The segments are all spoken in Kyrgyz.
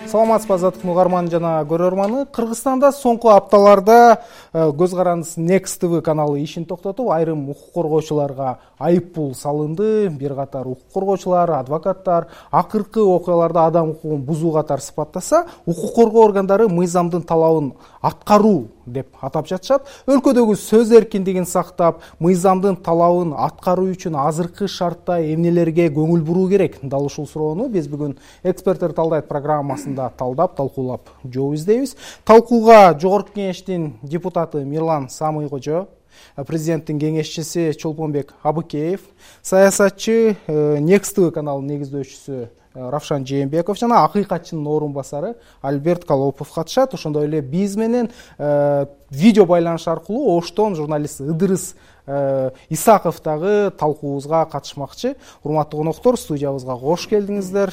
Саламатсызбы азаттыктын угарманы жана көрөрманы. Кыргызстанда соңку апталарда көз карандысыз Next TV каналы ишин токтотуп, айрым укук коргоочуларга айып пул салынды. Бир катар укук коргоочулар, адвокаттар акыркы окуяларда адам укугун бузуу катары сыпаттаса, укук коргоо органдары мыйзамдын талабын аткаруу деп атап жатышат. Өлкөдөгү сөз эркиндигин сактап, мыйзамдын талабын аткаруу үчүн азыркы шартта эмнелерге көңүл буруу керек? Дал ушул суроону биз бүгүн эксперттер талдайт программасында талдап, талкуулап жооп издейбиз. Талкууга Жогорку Кеңештин депутаты Мирлан Самый-Кожо, президенттин кеңешчиси Чолпонбек Абыкеев, саясатчы Next TV каналынын негиздөөчүсү Равшан Жээнбеков жана акыйкатчынын орун басары Альберт Колопов катышат. Ошондой эле биз менен видео байланыш аркылуу Оштон журналист Ыдырыс Исаков дагы талкуубузга катышмакчы. Урматтуу коноктор, студиябызга кош келдиңиздер.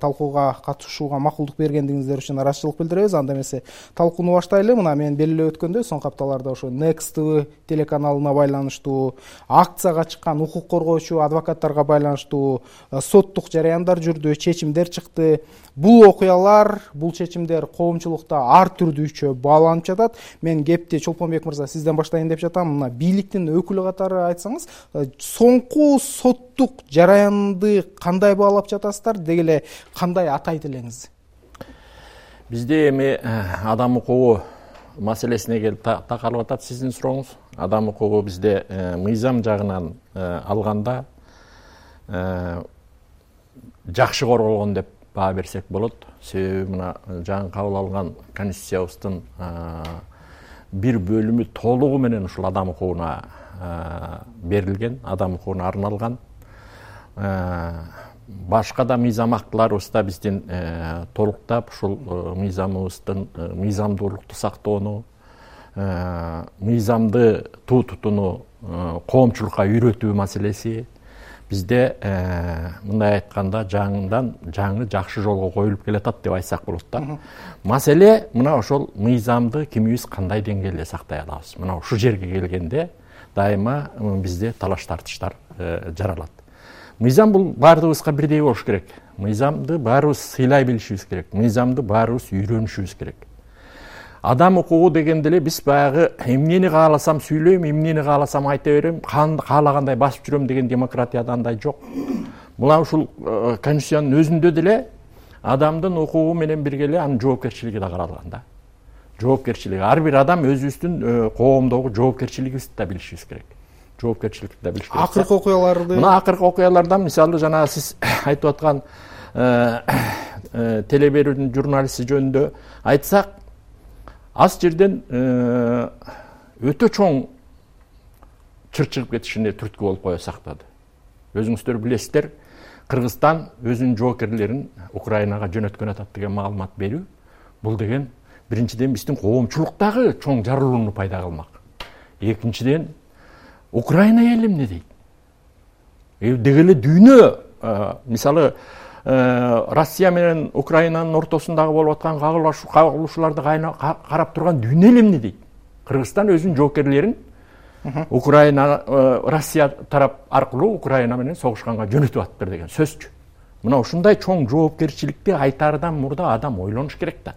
Талкууга катышууга макулдук бергендиңиздер үчүн ыраазычылык билдиребиз. Анда эмесе талкууну баштайлы. Мына мен белгилеп өткөндөй, соңку апталарда ошо Next TV телеканалына байланыштуу, акцияга чыккан укук коргоочу адвокаттарга байланыштуу соттук жараяндар жүрдү, чечимдер чыкты. Бул окуялар, бул чечимдер коомчулукта ар түрдүүчө бааланып жатат. Мен кепти Чолпонбек мырза сизден баштайын деп жатам. Мына бийликтин өкүлү катары айтсаңыз, соңку соттук жараянды кандай баалап жатасыздар, деги эле кандай атайт элеңиз? Бизде эми адам укугу маселесине келип такалып атат сиздин сурооңуз. Адам укугу бизде мыйзам жагынан алганда жакшы корголгон деп баа берсек болот. Себеби мына жаңы кабыл алган Конституциябыздын бир бөлүмү толугу менен ушул адам укугуна берилген, адам укугуна арналган. Башка да мыйзам актыларыбызда биздин толуктап ушул мыйзамыбыздын мыйзамдуулукту сактоону, мыйзамды тутууну коомчулукка үйрөтүү маселеси бизде мындай айтканда жаңы жакшы жолго коюлуп келатат деп айтсак болот да. Маселе мына ошол мыйзамды кимибиз кандай деңгээлде сактай алабыз. Мына ушул жерге келгенде дайыма бизде талаш тартыштар жаралат. Мыйзам бул баардыгыбызга бирдей болуш керек. Мыйзамды баарыбыз сыйлай билишибиз керек. Мыйзамды баарыбыз үйрөнүшүбүз керек. Адам укугу дегенде эле биз баягы эмнени кааласам сүйлөйм, эмнени кааласам айта берем, каалагандай басып жүрөм деген демократияда андай жок. Мына ушул Конституциянын өзүндө деле адамдын укугу менен бирге эле анын жоопкерчилиги да каралган да. Жоопкерчилиги. Ар бир адам өзүбүздүн коомдогу жоопкерчилигибизди да билишибиз керек. Жоопкерчиликти да билиш керек. Акыркы окуяларды. Мына акыркы окуялардан мисалы жана сиз айтып аткан теле берүүнүн журналисти жөнүндө айтсак, аз жерден өтө чоң чыр чыгып кетишине түрткү болуп кое сактады. Өзүңүздөр билесиздер, Кыргызстан өзүнүн жоокерлерин Украинага жөнөткөн атат деген маалымат берүү. Бул деген биринчиден биздин коомчулуктагы чоң жарылууну пайда кылмак. Экинчиден Украина эл эмне дейт? Деги эле дүйнө, мисалы Россия менен Украинанын ортосундагы болуп аткан кагылышууларды карап турган дүйнө эл эмне дейт? Кыргызстан өзүнүн жоокерлерин Украина, Россия тарап аркылуу Украина менен согушканга жөнөтүп атыптыр деген сөзчү. Мына ушундай чоң жоопкерчиликти айтаардан мурда адам ойлонуш керек да.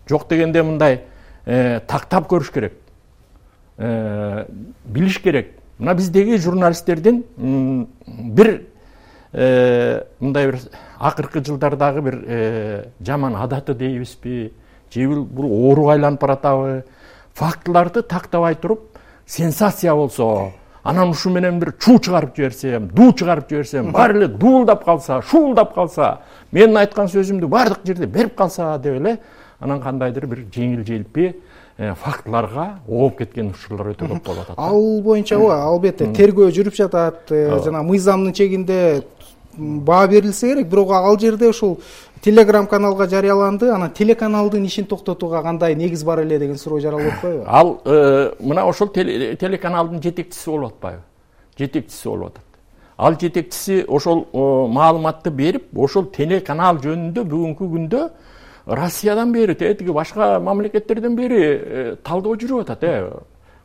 Жок дегенде мындай тактап көрүш керек. Билиш керек. Мына биздеги журналисттердин бир мындай бир акыркы жылдардагы бир жаман адаты дейбизби, же бул ооруга айланып баратабы, фактыларды тактабай туруп сенсация болсо, анан ушу менен бир чуу чыгарып жиберсем, дуу чыгарып жиберсем, баары эле дуулдап калса, шуулдап калса, менин айткан сөзүмдү баардык жерде берип калса деп эле, анан кандайдыр бир жеңил-желпи фактыларга ооп кеткен учурлар өтө көп болуп атат. Ал боюнча албетте тергөө жүрүп жатат, жана мыйзамдын чегинде баа берилсе керек, бирок ал жерде ушул Telegram каналга жарыяланды, анан телеканалдын ишин токтотууга кандай негиз бар эле деген суроо жаралып атпайбы? Ал мына ошол телеканалдын жетекчиси болуп атпайбы? Жетекчиси болуп атат. Ал жетекчиси ошол маалыматты берип, ошол телеканал жөнүндө бүгүнкү күндө Россиядан бери, тиги башка мамлекеттерден бери талдоо жүрүп атат.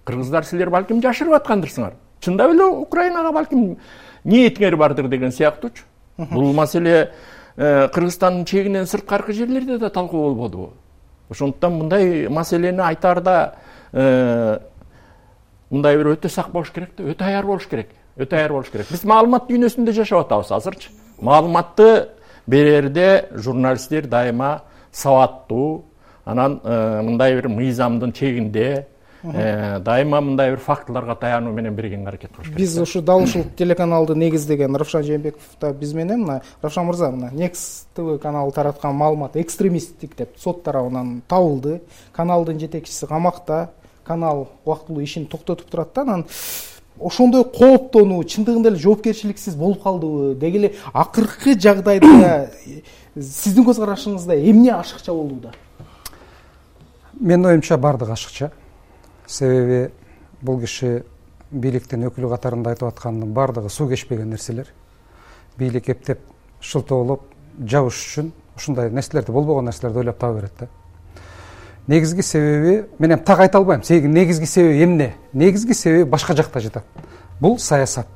Кыргыздар силер балким жашырып аткандырсыңар. Чындап эле Украинага балким ниетиңер бардыр деген сыяктуучу. Бул маселе Кыргызстандын чегинен сырткаркы жерлерде да талкуу болбодубу? Ошондуктан мындай маселени айтаарда мындай бир өтө сак болуш керек да, өтө аяр болуш керек. Биз маалымат дүйнөсүндө жашап атабыз азырчы. Маалыматты берерде журналисттер дайыма сабаттуу, анан мындай бир мыйзамдын чегинде дайыма мындай бир фактыларга таянуу менен бергенге аракет кылыш керек. Биз ушу дал ушул телеканалды негиздеген Равшан Жээнбеков да биз менен мына Равшан мырза, мына Next TV каналы тараткан маалымат экстремисттик деп сот тарабынан табылды. Каналдын жетекчиси камакта, канал убактылуу ишин токтотуп турат да. Анан ошондой кооптонуу чындыгында эле жоопкерчиликсиз болуп калдыбы? Деги эле акыркы жагдайда сиздин көз карашыңызда эмне ашыкча болууда? Менин оюмча бардыгы ашыкча. Себеби бул киши бийликтин өкүлү катарында айтып аткандын бардыгы суу кечпеген нерселер. Бийлик эптеп шылтоолоп жабыш үчүн ушундай нерселерди, болбогон нерселерди ойлоп таба берет да. Негизги себеби, мен эми так айта албайм. Негизги себеби эмне? Негизги себеби башка жакта жатат. Бул саясат.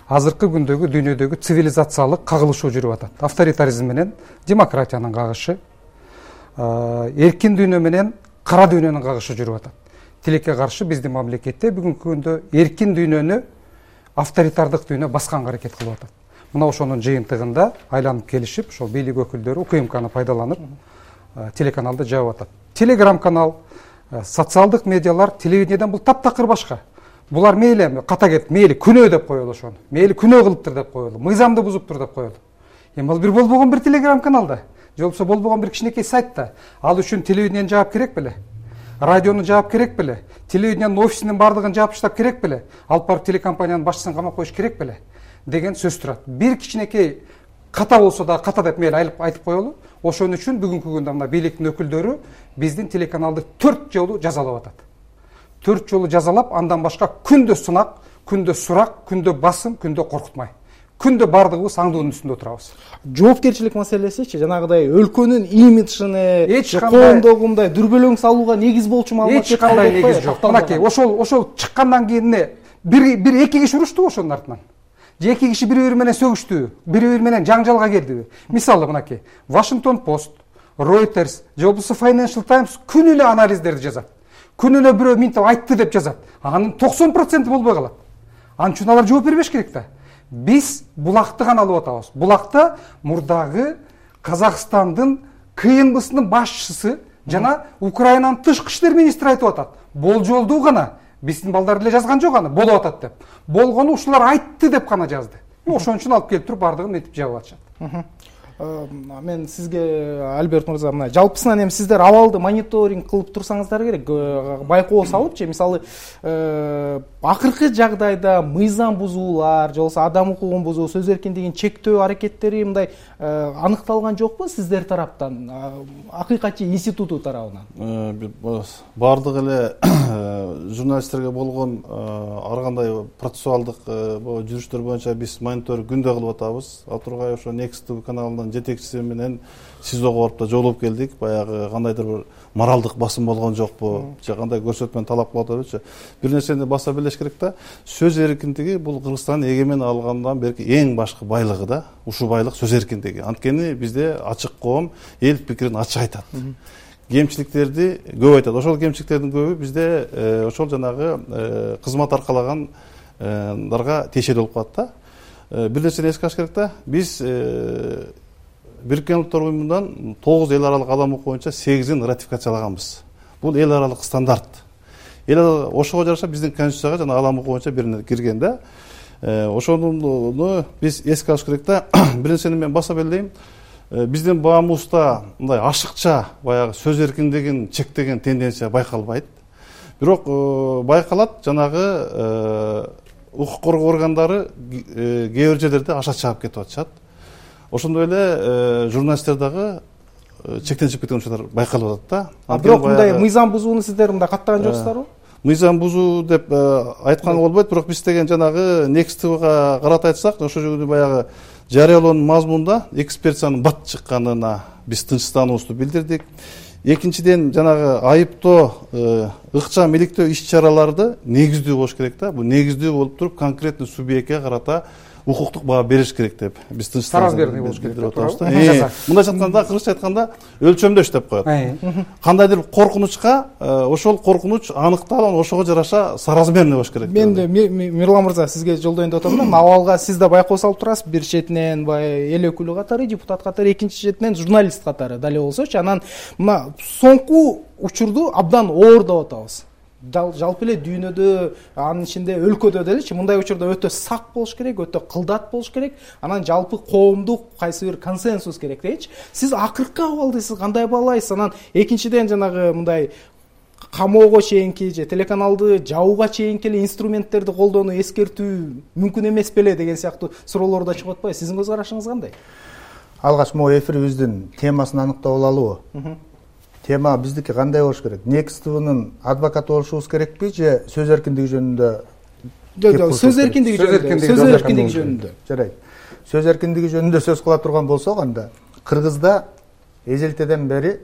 Азыркы күндөгү дүйнөдөгү цивилизациялык кагылышуу жүрүп атат. Авторитаризм менен демократиянын кагышы, эркин дүйнө менен кара дүйнөнүн кагышы жүрүп атат. Тилекке каршы биздин мамлекетте бүгүнкү күндө эркин дүйнөнү авторитардык дүйнө басканга аракет кылып атат. Мына ошонун жыйынтыгында айланып келишип, ошол бийлик өкүлдөрү УКМКны пайдаланып телеканалды жаап атат. Телеграм канал, социалдык медиалар телевидениеден бул таптакыр башка. Булар мейли ката кетип, мейли күнөө деп коелу ошону. Мейли күнөө кылыптыр деп коелу. Мыйзамды бузуптур деп коелу. Эми ал бир болбогон бир телеграм каналда, же болбосо болбогон бир кичинекей сайтта. Ал үчүн телевидениенин жаап керек беле? Радиону жаап керек беле? Телевидениенин офисинин бардыгын жаап таштап керек беле? Алып барып телекомпаниянын башчысын камап коюш керек беле? Деген сөз турат. Бир кичинекей ката болсо да ката деп мейли айтып коелу. Ошон үчүн бүгүнкү күндө мына бийликтин өкүлдөрү биздин телеканалды 4 жолу жазалап атат. 4 жолу жазалап, андан башка күндө сынак, күндө сурак, күндө басым, күндө коркутмай. Күндө бардыгыбыз аңдуунун үстүндө турабыз. Жоопкерчилик маселесичи, жанагыдай өлкөнүн имиджине, коомдогу мындай дүрбөлөң салууга негиз болчу маалымат эч кандай негиз жок. Мынакей ошол чыккандан кийин бир эки киши урушту ошонун артынан. Же эки киши бири-бири менен сөгүштүбү, бири-бири менен жаңжалга кирдиби? Мисалы мынакей, Washington Post, Reuters, же болбосо Financial Times күнү эле анализдерди жазат. Күнү эле бирөө минтип айтты деп жазат. Анын 90% болбой калат. Анын үчүн алар жооп бербеш керек да. Биз булакты гана алып атабыз. Булакта мурдагы Казакстандын КНБсынын башчысы жана Украинанын тышкы иштер министри айтып атат. Болжолдуу гана биздин балдар эле жазган жок аны, болуп атат деп. Болгону ушулар айтты деп гана жазды. Ошон үчүн алып келип туруп бардыгын этип жабып атышат. Мен сизге Альберт мырза, мына жалпысынан эми сиздер абалды мониторинг кылып турсаңыздар керек, байкоо салыпчы, мисалы акыркы жагдайда мыйзам бузуулар, же болбосо адам укугун бузуу, сөз эркиндигин чектөө аракеттери мындай аныкталган жокпу сиздер тараптан, акыйкатчы институту тарабынан? Бардык эле журналисттерге болгон ар кандай процессуалдык жүрүштөр боюнча биз мониторинг күндө кылып атабыз. Атургай ошо Next TV каналынын жетекчиси менен СИЗОго барып да жолугуп келдик. Баягы кандайдыр бир моралдык басым болгон жокпу, же кандай көрсөтмөнү талап кылып атабызчы. Бир нерсени баса билиш керек да. Сөз эркиндиги бул Кыргызстан эгемен алгандан берки эң башкы байлыгы да. Ушул байлык сөз эркиндиги. Анткени бизде ачык коом эл пикирин ачык айтат. Кемчиликтерди көп айтат. Ошол кемчиликтердин көбү бизде ошол жанагы кызмат аркалагандарга тиешелүү болуп калат да. Бир нерсени эске алыш керек да. Биз Бириккен Улуттар Уюмунан 9 эл аралык адам укук боюнча 8-ин ратификациялаганбыз. Бул эл аралык стандарт. Ошого жараша биздин конституцияга жана адам укук боюнча бирине кирген да. Ошону биз эске алыш керек да. Бир нерсени мен баса белдейм. Биздин баамыбызда мындай ашыкча баягы сөз эркиндигин чектеген тенденция байкалбайт. Бирок байкалат, жанагы укук коргоо органдары кээ бир жерлерде аша чаап кетип атышат. Ошондой эле журналисттер дагы чектен чыгып кеткен учурлар байкалып атат да. Бирок мындай мыйзам бузууну сиздер мындай каттаган жоксуздарбы? Мыйзам бузуу деп айтканга болбойт, бирок биз деген жанагы Next TVга карата айтсак, ошол жерде баягы жарыялоонун мазмунунда экспертизанын бат чыкканына биз тынчсыздануубузду билдирдик. Экинчиден жанагы айыптоо, ыкчам иликтөө иш чараларды негиздүү болуш керек да. Бул негиздүү болуп туруп конкретный субъектке карата укуктук баа бериш керек деп биз соразмерный болуш керек деп атабыз да. Мындайча айтканда, кыргызча айтканда өлчөмдөш деп коет. Кандайдыр коркунучка ошол коркунуч аныкталып, ошого жараша соразмерный болуш керек. Мен Мирлан мырза сизге жолдоюн деп атам да. Абалга сиз да байкоо салып турасыз. Бир четинен баягы эл өкүлү катары, депутат катары, экинчи четинен журналист катары дале болсочу. Анан мына соңку учурду абдан оордоп атабыз. Жалпы эле дүйнөдө, анын ичинде өлкөдө делечи мындай учурда өтө сак болуш керек, өтө кылдат болуш керек. Анан жалпы коомдук кайсы бир консенсус керек дейчи. Сиз акыркы абалды сиз кандай баалайсыз? Анан экинчиден жанагы мындай камоого чейинки же телеканалды жабууга чейинки эле инструменттерди колдонуу эскертүү мүмкүн эмес беле деген сыяктуу суроолор да чыгып атпайбы? Сиздин көз карашыңыз кандай? Алгач могу эфирибиздин темасын аныктап алалыбы? Тема биздики кандай болуш керек? Next TV'нын адвокаты болушубуз керекпи же сөз эркиндиги жөнүндө? Сөз эркиндиги жөнүндө. Жарайт. Сөз эркиндиги жөнүндө сөз кыла турган болсок, анда Кыргызда эзелтеден бери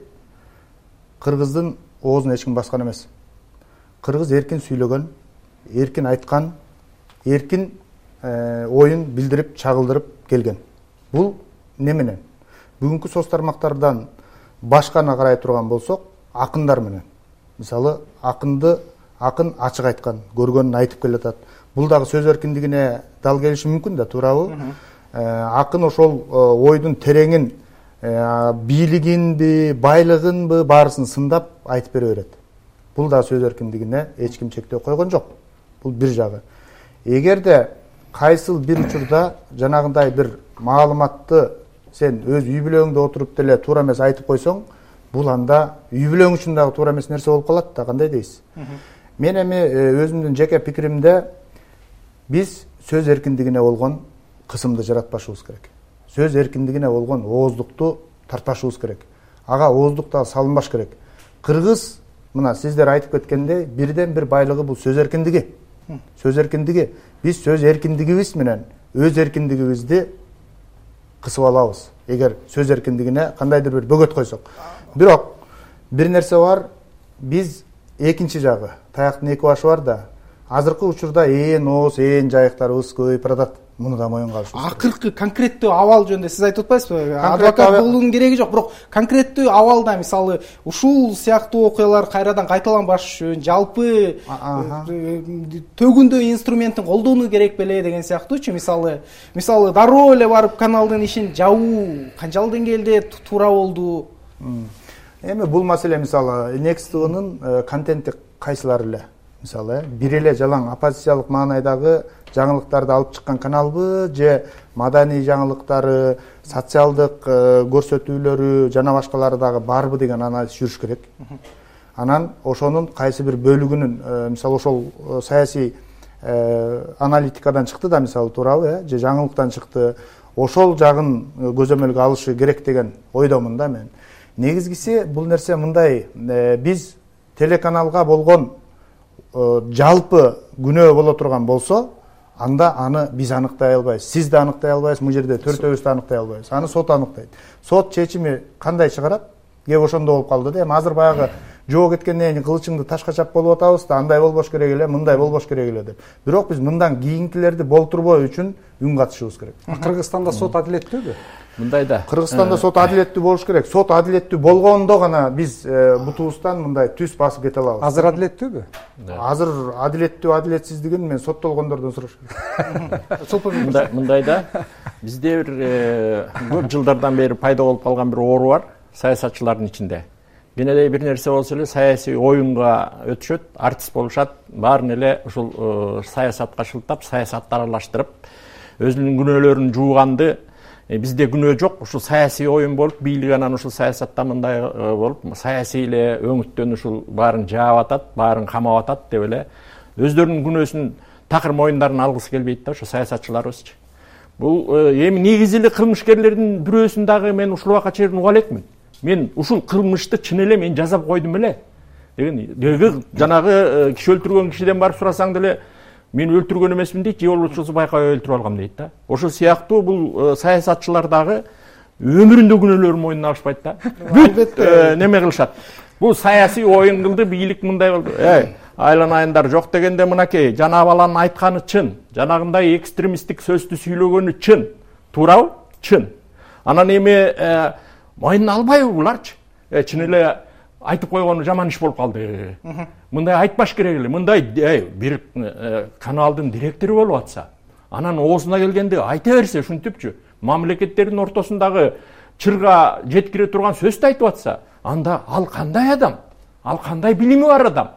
кыргыздын оозун эч ким баскан эмес. Кыргыз эркин сүйлөгөн, эркин айткан, эркин оюн билдирип, чагылдырып келген. Бул не менен? Бүгүнкү соц тармактардан башканы карай турган болсок, акындар менен. Мисалы, акын ачык айткан, көргөнүн айтып келатат. Бул дагы сөз эркиндигине дал келиши мүмкүн да, туурабы? Акын ошол ойдун тереңин, бийлигинби, байлыгынбы баарысын сындап айтып бере берет. Бул да сөз эркиндигине эч ким чектөө койгон жок. Бул бир жагы. Эгерде кайсыл бир учурда жанагындай бир маалыматты сен өз үй бүлөңдө отуруп деле туура эмес айтып койсоң, бул анда үй бүлөң үчүн дагы туура эмес нерсе болуп калат да, кандай дейсиз? Мен эми өзүмдүн жеке пикиримде биз сөз эркиндигине болгон кысымды жаратпашыбыз керек. Сөз эркиндигине болгон ооздукту тартпашыбыз керек. Ага ооздук дагы салынбаш керек. Кыргыз, мына сиздер айтып кеткендей, бирден бир байлыгы бул сөз эркиндиги. Сөз эркиндиги. Биз сөз эркиндигибиз менен өз эркиндигибизди кысып алабыз. Эгер сөз эркиндигине кандайдыр бир бөгөт койсок. Бирок бир нерсе бар, биз экинчи жагы, таяктын эки башы бар да. Азыркы учурда ооз, жайыктарыбыз көбөйүп баратат. Муну да моюнга алышыбыз керек. Акыркы конкреттүү абал жөнүндө сиз айтып атпайсызбы? Адвокат болуунун кереги жок, бирок конкреттүү абалда мисалы ушул сыяктуу окуялар кайрадан кайталанбаш үчүн жалпы төгүндө инструменттин колдонуу керек беле деген сыяктуучу. Мисалы дароо эле барып каналдын ишин жабуу канчалык деңгээлде туура болду? Эми бул маселе мисалы Next TV'нын контенти кайсылары эле? Мисалы, бир эле жалаң оппозициялык маанайдагы жаңылыктарды алып чыккан каналбы же маданий жаңылыктары, социалдык көрсөтүүлөрү жана башкалары дагы барбы деген анализ жүрүш керек. Анан ошонун кайсы бир бөлүгүнүн, мисалы ошол саясий аналитикадан чыкты да, мисалы туурабы, же жаңылыктан чыкты. Ошол жагын көзөмөлгө алышы керек деген ойдомун да мен. Негизгиси бул нерсе мындай, биз телеканалга болгон жалпы күнөө боло турган болсо, анда аны биз аныктай албайбыз, сиз да аныктай албайсыз, бул жерде төртөөбүз да аныктай албайбыз. Аны сот аныктайт. Сот чечими кандай чыгарат? Кеп ошондо болуп калды да. Эми азыр баягы жоо кеткенден кийин кылычыңды ташка чап болуп атабыз да, андай болбош керек эле, мындай болбош керек эле деп. Бирок биз мындан кийинкилерди болтурбоо үчүн үн катышыбыз керек. Кыргызстанда сот адилеттүүбү? Мындайда. Кыргызстанда сот адилеттүү болуш керек. Сот адилеттүү болгондо гана биз бутубуздан мындай түз басып кете алабыз. Азыр адилеттүүбү? Азыр адилеттүү, адилетсиздигин мен соттолгондордон сураш керек. Мындайда бизде бир көп жылдардан бери пайда болуп калган бир оору бар саясатчылардын ичинде. Кенедей бир нерсе болсо эле саясий оюнга өтүшөт, артист болушат, баарын эле ушул саясатка шылтап, саясатты аралаштырып, өзүнүн күнөөлөрүн жууганды. Бизде күнөө жок, ушул саясий оюн болуп, бийлик анан ушул саясатта мындай болуп, саясий эле өңүттөн ушул баарын жаап атат, баарын камап атат деп эле өздөрүнүн күнөөсүн такыр моюндарын алгысы келбейт да ошо саясатчыларыбызчы. Бул эми негизи эле кылмышкерлердин бирөөсүн дагы мен ушул убакка чейин уга элекмин. Мен ушул кылмышты чын эле мен жазап койдум эле деген. Жанагы киши өлтүргөн кишиден барып сурасаң деле мен өлтүргөн эмесмин дейт, же болбосо байкабай өлтүрүп алгам дейт да. Ошол сыяктуу бул саясатчылар дагы өмүрүндө күнөөлөрүн мойнуна алышпайт да. Бүт неме кылышат. Бул саясий оюн кылды, бийлик мындай болду. айланайындар жок дегенде мынакей жана баланын айтканы чын, жанагындай экстремисттик сөздү сүйлөгөнү чын, туурабы? Чын. Анан эми мойнуна албайбы буларчы? Чын эле айтып койгону жаман иш болуп калды. Мындай айтпаш керек эле. Мындай бир каналдын директору болуп атса, анан оозуна келгенде айта берсе, ушинтипчи, мамлекеттердин ортосундагы чырга жеткире турган сөздү айтып атса, анда ал кандай адам? Ал кандай билими бар адам?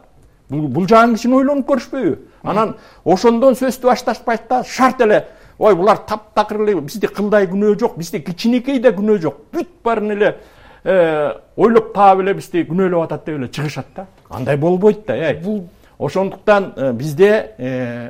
Бул жагын кичине ойлонуп көрүшпөйбү? Анан ошондон сөздү башташпайт да шарт эле ой булар таптакыр эле бизде кылдай күнөө жок, бизде кичинекей да күнөө жок. Бүт баарын эле ойлоп таап эле бизди күнөөлөп атат деп эле чыгышат да. Андай болбойт да. Бул ошондуктан бизде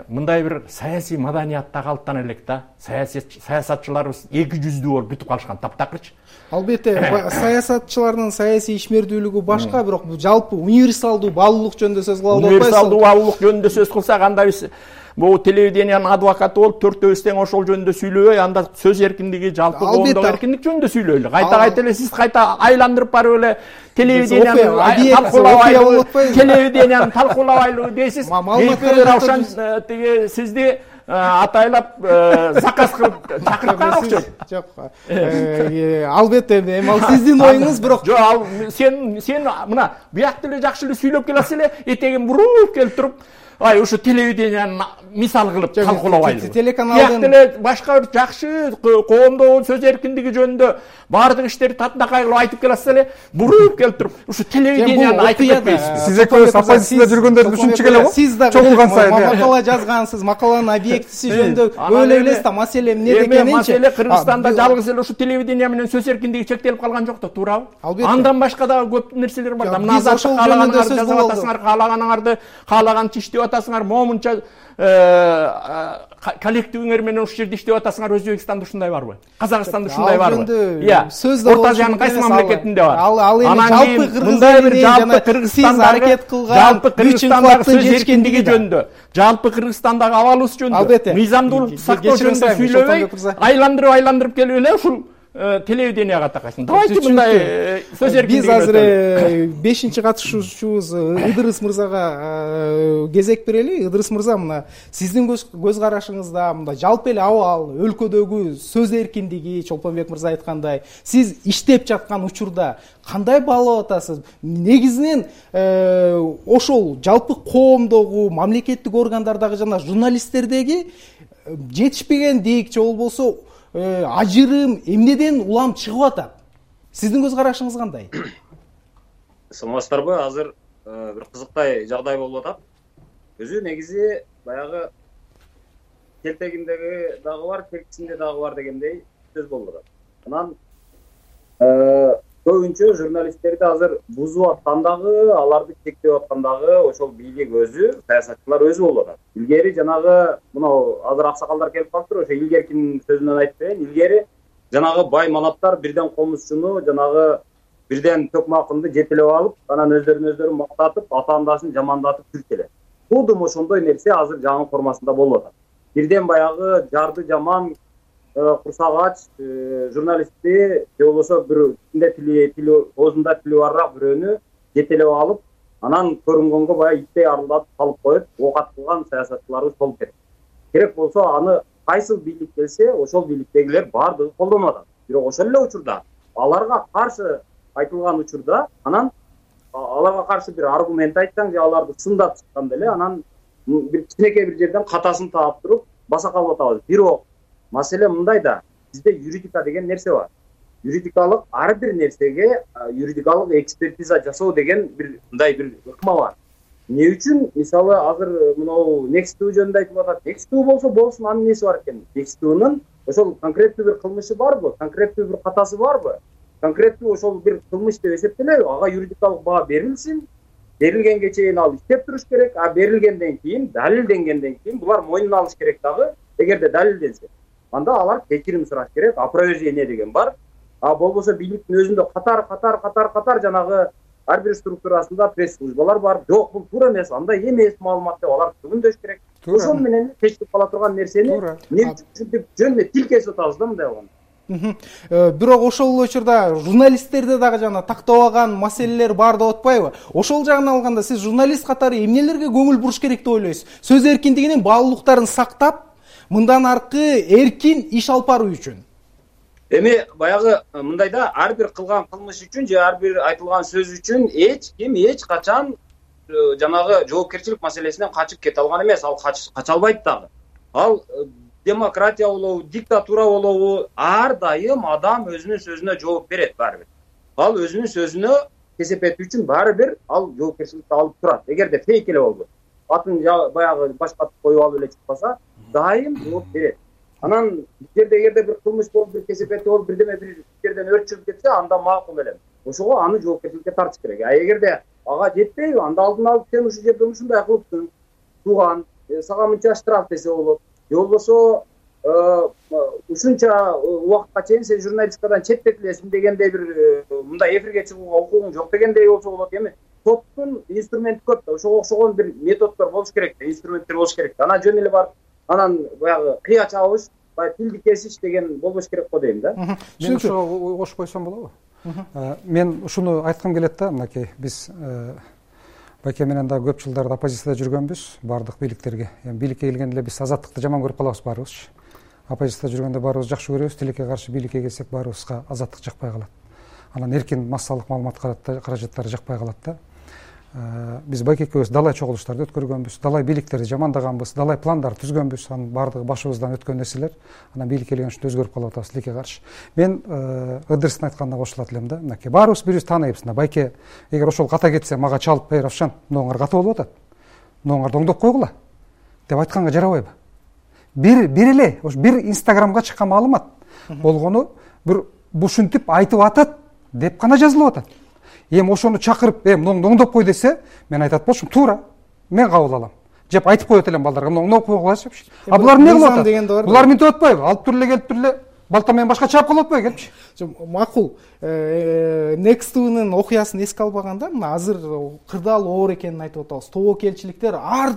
мындай бир саясий маданиятта калыптана элек да. Саясатчыларыбыз эки жүздүү болуп бүтүп калышкан таптакырчы. Албетте, саясатчылардын саясий ишмердүүлүгү башка, бирок жалпы универсалдуу баалуулук жөнүндө сөз кылып атпайсызбы? Универсалдуу баалуулук жөнүндө сөз кылсак, анда биз бул телевидениянын адвокаты болуп төртөөбүз тең ошол жөнүндө сүйлөбөй, анда сөз эркиндиги, жалпы коомдук эркиндик жөнүндө сүйлөйлү. Кайта эле сиз кайта айландырып барып эле телевидениянын талкуулабайлыгы дейсиз. Равшан тиги сизди атайлап заказ кылып чакырып калган окшойт. Жок. Албетте, эми ал сиздин оюңуз, бирок жок, ал сен мына биякта эле жакшы эле сүйлөп келесиз эле, этегин буруп келип туруп ушу телевидениянын мисал кылып талкуулабайлы. Телеканалдын эле башка бир жакшы коомдогу сөз эркиндиги жөнүндө баардык иштерди татынакай кылып айтып келесиз эле, буруп келип туруп ушу телевиденияны айтып кетпейсизби? Сиз экөөбүз оппозицияда жүргөндөрдүн үчүнчү келе го. Сиз дагы чогулган сайын макала жазгансыз, макаланын объектиси жөнүндө өлө элесиз да, маселе эмне экенинчи. Маселе Кыргызстанда жалгыз эле ушу телевидение менен сөз эркиндиги чектелип калган жок да, туурабы? Андан башка дагы көп нерселер бар да. Мына ошол жөнүндө сөз кылып атасыңар, каалаганыңарды каалаганча иштеп атасыңар, момунча коллективиңер менен ушул жерде иштеп атасыңар. Өзбекстанда ушундай барбы? Казакстанда ушундай барбы? Орто Азиянын кайсы мамлекетинде бар? Ал эми жалпы Кыргызстандагы сөз эркиндиги жөнүндө, жалпы Кыргызстандагы абалыбыз жөнүндө, мыйзамдуулукту сактоо жөнүндө сүйлөбөй, айландырып келип эле ушул телевиденияга такайсың. Давайте мындай сөз эркиндиги. Биз азыр 5-чи катышуучубуз Ыдырыс мырзага кезек берели. Ыдырыс мырза, мына сиздин көз карашыңызда мында жалпы эле абал, өлкөдөгү сөз эркиндиги, Чолпонбек мырза айткандай, сиз иштеп жаткан учурда кандай баалап атасыз? Негизинен ошол жалпы коомдогу, мамлекеттик органдардагы жана журналисттердеги жетишпегендик же болбосо ажырым эмнеден улам чыгып атат? Сиздин көз карашыңыз кандай? Саламатсыздарбы? Азыр бир кызыктай жагдай болуп атат. Өзү негизи баягы келтегиндеги дагы бар, келкисинде дагы бар дегендей сөз болуп атат. Анан көбүнчө журналисттерди азыр бузуп аткандагы, аларды чектеп аткандагы ошол бийлик өзү, саясатчылар өзү болуп атат. Илгери жанагы мынау азыр аксакалдар келип калыптыр, ошо илгеркинин сөзүнөн айтып берейин. Илгери жанагы бай манаптар бирден комузчуну, жанагы бирден төкмакынды жетелеп алып, анан өздөрүн мактатып, атаандасын жамандатып жүрүп келет. Туудум ошондой нерсе азыр жаңы формасында болуп атат. Бирден баягы жарды жаман, курсак ач журналистти же болбосо бир оозунда тили барраак бирөөнү жетелеп алып, анан көрүнгөнгө баягы иттей арылдатып калып коюп, оокат кылган саясатчыларыбыз болуп кетет. Керек болсо аны кайсыл бийлик келсе, ошол бийликтегилер баардыгы колдонуп атат. Бирок ошол эле учурда аларга каршы айтылган учурда, анан аларга каршы бир аргумент айтсаң же аларды сындап чыкканда эле, анан бир кичинекей бир жерден катасын таап туруп баса калып атабыз. Бирок маселе мындай да, бизде юридика деген нерсе бар. Юридикалык ар бир нерсеге юридикалык экспертиза жасоо деген бир мындай бир ыкма бар. Эмне үчүн мисалы азыр мынау Next.tv жөнүндө айтып атат. Next.tv болсо болсун, анын неси бар экен? Next.tv'нын ошол конкреттүү бир кылмышы барбы? Конкреттүү бир катасы барбы? Конкреттүү ошол бир кылмыш деп эсептелеби? Ага юридикалык баа берилсин. Берилгенге чейин ал иштеп туруш керек. А берилгенден кийин, далилденгенден кийин булар мойнуна алыш керек дагы. Эгерде далилденсе, анда алар кечирим сураш керек. Опровержение деген бар. А болбосо бийликтин өзүндө катар жанагы ар бир структурасында пресс-службалар бар. Жок, бул туура эмес, андай эмес маалымат деп алар түгүндөш керек. Ошол менен чечилип кала турган нерсени эмне үчүн жөн эле тил кесип атабыз да мындай болгондо. Бирок ошол эле учурда журналисттерде дагы жана тактабаган маселелер бар деп атпайбы? Ошол жагынан алганда сиз журналист катары эмнелерге көңүл буруш керек деп ойлойсуз? Сөз эркиндигинин баалуулуктарын сактап, мындан аркы эркин иш алып баруу үчүн. Эми баягы мындай да, ар бир кылган кылмыш үчүн же ар бир айтылган сөз үчүн эч ким эч качан жанагы жоопкерчилик маселесинен качып кете алган эмес. Ал кача албайт дагы. Ал демократия болобу, диктатура болобу, ар дайым адам өзүнүн сөзүнө жооп берет баары бир. Ал өзүнүн сөзүнө кесепети үчүн баары бир ал жоопкерчиликти алып турат. Эгерде фейк эле болбойт, атын баягы башкатып коюп алып эле чыкпаса, дайым жооп берет. Анан бир жерде эгерде бир кылмыш болуп, бир кесепети болуп, бирдеме бир жерден өрт чыгып кетсе, анда макул эле. Ошого аны жоопкерчиликке тартыш керек. А эгерде ага жетпейби, анда алдын алып сен ушул жерде ушундай кылыптың, тууган, сага мынча штраф десе болот. Же болбосо ушунча убакытка чейин сен журналистикадан четтетилесиң дегендей бир мындай эфирге чыгууга укугуң жок дегендей болсо болот. Эми соттун инструменти көп да, ошого окшогон бир методдор болуш керек да, инструменттер болуш керек да. Анан жөн эле барып анан баягы кыя чабыш, баягы тилди кесиш деген болбош керек го дейм да. Мен ошого кошуп койсом болобу? Мен ушуну айткым келет да, мынакей биз Байке менен да көп жылдарда оппозицияда жүргөнбүз, бардык бийликтерге. Эми бийликке келгенде эле биз азаттыкты жаман көрүп калабыз баарыбыз. Оппозицияда жүргөндө баарыбыз жакшы көрөбүз, тилекке каршы бийликке келсек баарыбызга азаттык жакпай калат. Анан эркин массалык маалымат каражаттары жакпай калат да. Биз Байке экөөбүз далай чогулуштарды өткөргөнбүз, далай бийликтерди жамандаганбыз, далай пландар түзгөнбүз. Анын баардыгы башыбыздан өткөн нерселер. Анан бийликке келген үчүн өзгөрүп калып атабыз тилекке каршы. Мен Ыдырыстын айтканына кошулат элем да. Мынакей баарыбыз бирибизди тааныйбыз. Байке эгер ошол ката кетсе, мага чалып, "Эй, Равшан, мынуңар ката болуп атат. Мынуңарды оңдоп койгула" деп айтканга жарабайбы? Бир эле, ошо бир Инстаграмга чыккан маалымат болгону бир ушинтип айтып атат деп гана жазылып атат. Эми ошону чакырып, мынуңду оңдоп кой десе, мен айтат болчумун, туура. Мен кабыл алам. Жеп айтып коет элем балдарга, муну оңдоп койгулачы депчи. А булар эмне кылып атат? Булар минтип атпайбы? Алып туруп эле келип туруп эле балта менен башка чаап калып атпайбы келипчи? Макул. Next TV'нын окуясын эске албаганда, мына азыр кырдаал оор экенин айтып атабыз. Тобокелчиликтер ар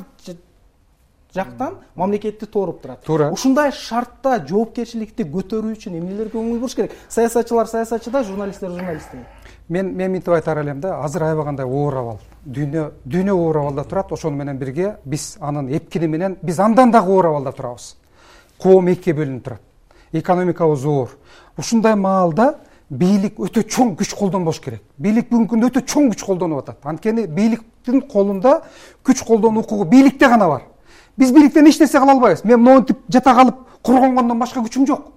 жактан мамлекетти тооруп турат. Ушундай шартта жоопкерчиликти көтөрүү үчүн эмнелерге көңүл буруш керек? Саясатчылар саясатчыда, журналисттер журналистте. Мен минтип айтар элем да, азыр аябагандай оор абал. Дүйнө оор абалда турат, ошону менен бирге биз анын эпкини менен биз андан дагы оор абалда турабыз. Коом экиге бөлүнүп турат. Экономикабыз оор. Ушундай маалда бийлик өтө чоң күч колдонбош керек. Бийлик бүгүнкү күндө өтө чоң күч колдонуп атат. Анткени бийликтин колунда күч колдонуу укугу бийликте гана бар. Биз бийликтен эч нерсе кыла албайбыз. Мен монтип жата калып коргонгондон башка күчүм жок.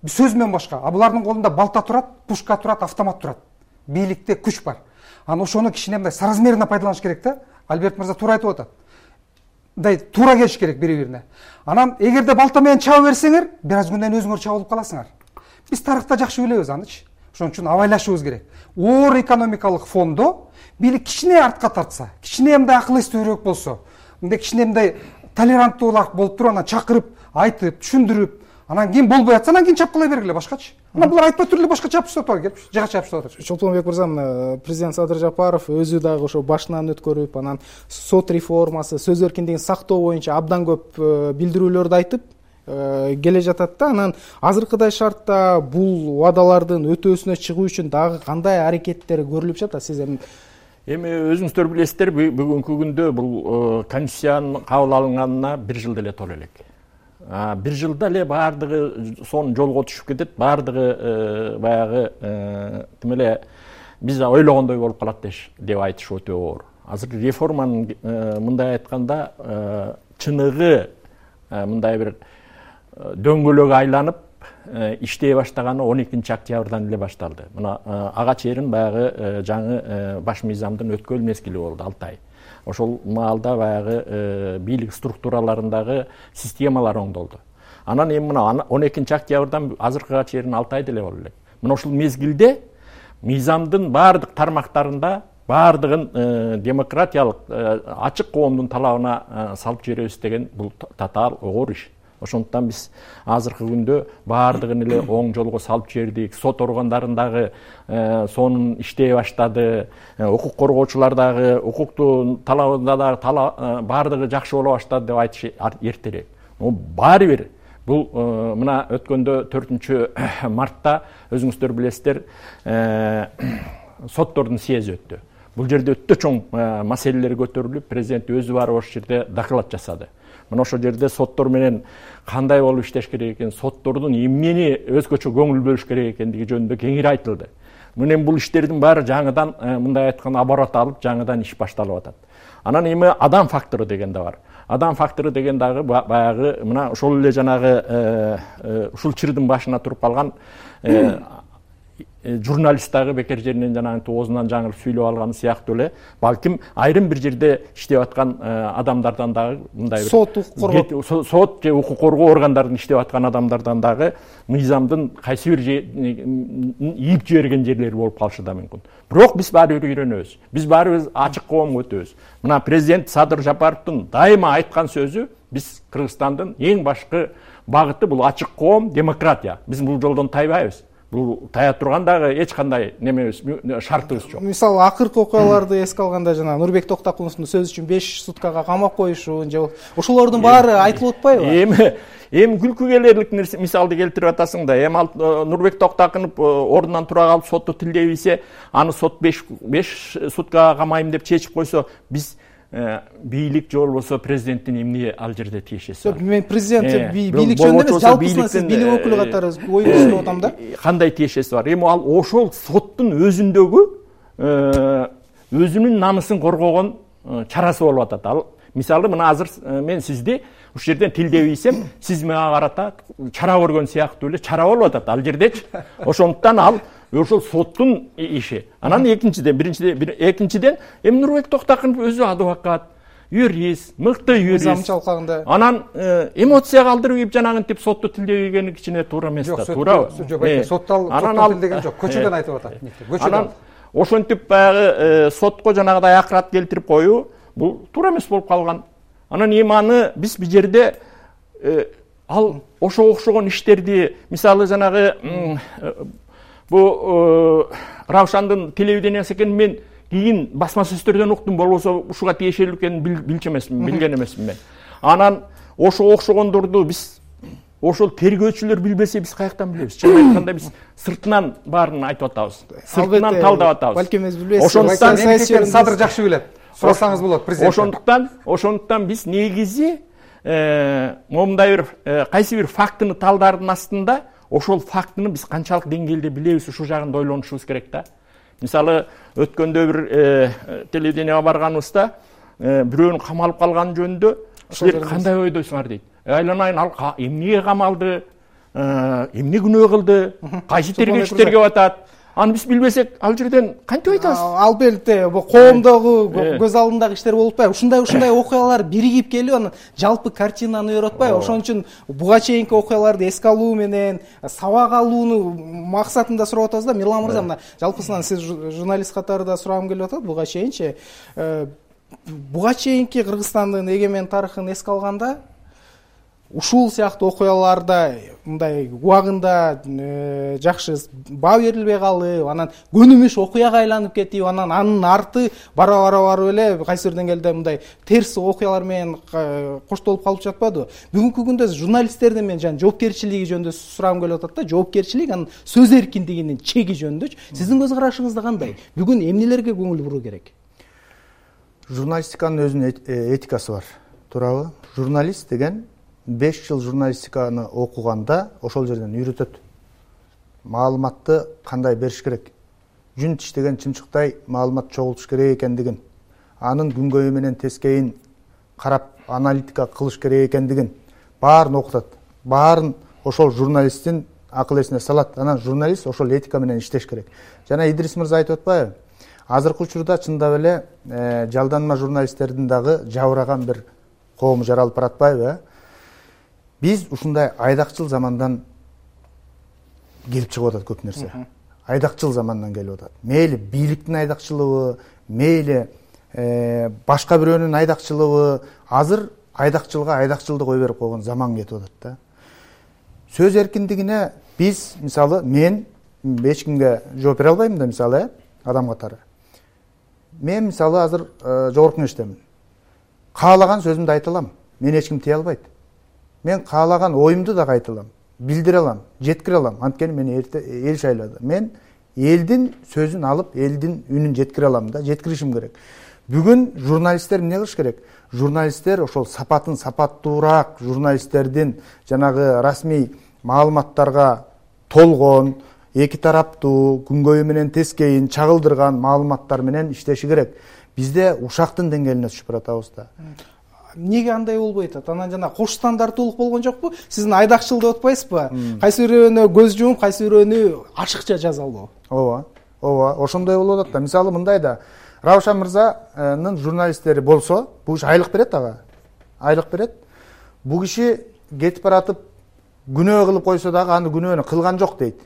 Сөз менен башка. А булардын колунда балта турат, пушка турат, автомат турат. Бийликте күч бар. Анан ошону кичине мындай соразмерно пайдаланыш керек да. Альберт мырза туура айтып атат. Мындай туура келиш керек бири-бирине. Анан эгерде балта менен чаба берсеңер, бир аз күндөн өзүңөр чабылып каласыңар. Биз тарыхта жакшы билебиз анычы. Ошон үчүн абайлашыбыз керек. Оор экономикалык фондо бийлик кичине артка тартса, кичине мындай акыл эстүүрөөк болсо, мындай кичине мындай толеранттуулак болуп туруп, анан чакырып, айтып, түшүндүрүп, анан кийин болбой атса, анан кийин чапкылай бергиле башкачы. Анан булар айтпай туруп эле башка чапышып атпайбы келипчи? Жага чапышып атат. Чолпонбек мырза, президент Садыр Жапаров өзү дагы ошо башынан өткөрүп, анан сот реформасы, сөз эркиндигин сактоо боюнча абдан көп билдирүүлөрдү айтып келе жатат да. Анан азыркыдай шартта бул убадалардын өтөөсүнө чыгуу үчүн дагы кандай аракеттер көрүлүп жатат? Сиз эми өзүңүздөр билесиздер, бүгүнкү күндө бул конституциянын кабыл алынганына 1 жыл деле толо элек. 1 жылда эле баардыгы сонун жолго түшүп кетет, баардыгы баягы тим эле биз ойлогондой болуп калат деп айтыш өтө оор. Азыр реформанын мындай айтканда чыныгы мындай бир дөңгөлөк айланып иштей баштаганы 12 октябрдан эле башталды. Мына ага чейин баягы жаңы баш мыйзамдын өткөл мезгили болду 6 ай. Ошол маалда баягы бийлик структураларындагы системалар оңдолду. Анан эми мына 12 октябрдан азыркыга чейин 6 ай деле болду элек. Мына ошол мезгилде мыйзамдын баардык тармактарында баардыгын демократиялык ачык коомдун талабына салып жиберебиз деген бул татаал оор иш. Ошондуктан биз азыркы күндө баардыгын эле оң жолго салып жибердик. Сот органдарындагы сонун иштей баштады. Укук коргоочулар дагы укуктун талабында дагы баардыгы жакшы боло баштады деп айтыш эртерээк. Баары бир Бул мына өткөндө 4 мартта өзүңүздөр билесиздер, соттордун съези өттү. Бул жерде өтө чоң маселелер көтөрүлүп, президент өзү барып ошол жерде доклад жасады. Мына ошол жерде соттор менен кандай болуп иштеш керек экен, соттордун эмнени өзгөчө көңүл бөлүш керек экендиги жөнүндө кеңири айтылды. Мынен бул иштердин баары жаңыдан, мындай айтканда, оборот алып, жаңыдан иш башталып атат. Анан эми адам фактору деген да бар. Адам фактору деген дагы баягы мына ошол эле жанагы ушул чырдын башына туруп калган журналист дагы бекер жеринен жанагынтип оозунан жаңылып сүйлөп алганы сыяктуу эле, балким айрым бир жерде иштеп аткан адамдардан дагы мындай бир сот же укук коргоо органдарын иштеп аткан адамдардан дагы мыйзамдын кайсы бир ийип жиберген жерлери болуп калышы да мүмкүн. Бирок биз баары бир үйрөнөбүз. Биз баарыбыз ачык коомго өтөбүз. Мына президент Садыр Жапаровдун дайыма айткан сөзү, биз Кыргызстандын эң башкы багыты бул ачык коом, демократия. Биз бул жолдон тайбайбыз. Бул тая турган дагы эч кандай немебиз, шартыбыз жок. Мисалы акыркы окуяларды эске алганда жана Нурбек Токтакуновдун сөзү үчүн 5 суткага камап коюшун же ошолордун баары айтылып атпайбы? Эми күлкү келерлик нерсе мисалды келтирип атасың да. Эми Нурбек Токтакунов ордунан тура калып сотту тилдей билсе, аны сот 5 суткага камайм деп чечип койсо, биз бийлик же болбосо президенттин эмне ал жерде тиешеси бар? Мен президент бийлик жөнүндө эмес, жалпысынан сиз бийлик өкүлү катары ой көрсөтүп атам да. Кандай тиешеси бар? Эми ал ошол соттун өзүндөгү өзүнүн намысын коргогон чарасы болуп атат. Ал мисалы мына азыр мен сизди ушул жерден тилдеп ийсем, сиз мага карата чара көргөн сыяктуу эле чара болуп атат ал жердечи. Ошондуктан ал ошол соттун иши. Анан экинчиден эми Нурбек Токтакунов өзү адвокат, юрист, мыкты юрист. Анан эмоция калтырып ийип жанагынтип сотту тилдебегени кичине туура эмес да, туурабы? Жок, сотту тилдеген жок, көчөдөн айтып атат. Анан ошентип баягы сотко жанагыдай акырат келтирип коюу бул туура эмес болуп калган. Анан эми аны биз бул жерде ал ошого окшогон иштерди, мисалы жанагы бу Равшандын телевидениясы экенин мен кийин басма сөздөрдөн уктум, болбосо ушуга тиешелүү экенин билген эмесмин мен. Анан ошого окшогондорду биз ошол тергөөчүлөр билбесе биз каяктан билебиз? Чын айтканда биз сыртынан баарын айтып атабыз. Сыртынан талдап атабыз. Балким эз билбейсиз. Ошондуктан Садыр жакшы билет. Сурасаңыз болот президент. Ошондуктан биз негизи момундай бир кайсы бир фактыны талдаардын астында ошол фактыны биз канчалык деңгээлде билебиз, ушул жагында ойлонушубуз керек да. Мисалы өткөндө бир телевиденияга барганыбызда бирөөнүн камалып калганы жөнүндө силер кандай ойдойсуңар дейт. Айланайын, ал эмнеге камалды, эмне күнөө кылды, кайсы тергөөчү атат. Аны биз билбесек, ал жерден кантип айтабыз? Албетте, бул коомдогу көз алдындагы иштер болуп атпайбы? Ушундай окуялар биригип келип, анан жалпы картинаны өрүп атпайбы? Ошон үчүн буга чейинки окуяларды эске алуу менен сабак алууну максатында сурап атабыз да. Мирлан мырза, мына жалпысынан сиз журналист катары да сурагым келип атат. Буга чейинчи Кыргызстандын эгемен тарыхын эске алганда ушул сыяктуу окуяларда мындай убагында жакшы баа берилбей калып, анан көнүмүш окуяга айланып кетип, анан анын арты барып эле кайсы бир деңгээлде мындай терс окуялар менен коштолуп калып жатпадыбы? Бүгүнкү күндө журналисттердин мен жана жоопкерчилиги жөнүндө сурагым келип атат да. Жоопкерчилик, анын сөз эркиндигинин чеги жөнүндө сиздин көз карашыңызда кандай? Бүгүн эмнелерге көңүл буруу керек? Журналистиканын өзүнүн этикасы бар, туурабы? Журналист деген 5 жыл журналистиканы окуганда ошол жерден үйрөтөт. Маалыматты кандай бериш керек, жүн тиштеген чымчыктай маалымат чогултуш керек экендигин, анын күнгөйү менен тескейин карап аналитика кылыш керек экендигин баарын окутат. Баарын ошол журналисттин акыл эсине салат. Анан журналист ошол этика менен иштеш керек. Жана Идрис мырза айтып атпайбы? Азыркы учурда чындап эле жалданма журналисттердин дагы жабыраган бир коому жаралып баратпайбы? Биз ушундай айдакчыл замандан келип чыгып атат көп нерсе. Айдакчыл замандан келип атат. Мейли бийликтин айдакчылыгы, мейли башка бирөөнүн айдакчылыгы, азыр айдакчылга айдакчылды кой берип койгон заман кетип атат да. Сөз эркиндигине биз, мисалы, мен эч кимге жооп бере албайм да, мисалы, адам катары. Мен мисалы азыр жогорку кеңештемин. Каалаган сөзүмдү айта алам. Мени эч ким тие албайт. мен каалаган оюмду да айта алам, билдире алам, жеткире алам. Анткени мен эл шайлады. Мен элдин сөзүн алып, элдин үнүн жеткире алам да, жеткиришим керек. Бүгүн журналисттер эмне кылыш керек? Журналисттер ошол сапатын сапаттуураак, журналисттердин жанагы расмий маалыматтарга толгон, эки тараптуу, күнгөйү менен тескейин чагылдырган маалыматтар менен иштеши керек. Бизде ушактын деңгээлине түшүп баратабыз да. Эмнеге андай болбой атат? Анан жана кош стандарттуулук болгон жокпу? Сиздин айдакчыл деп атпайсызбы? Кайсы бирөөнө көз жумуп, кайсы бирөөнү ашыкча жазалуу. Ооба, ошондой болуп атат да. Мисалы мындай да, Раушан мырзанын журналисттери болсо, бул киши айлык берет ага. Айлык берет. Бул киши кетип баратып күнөө кылып койсо дагы аны күнөөнү кылган жок дейт.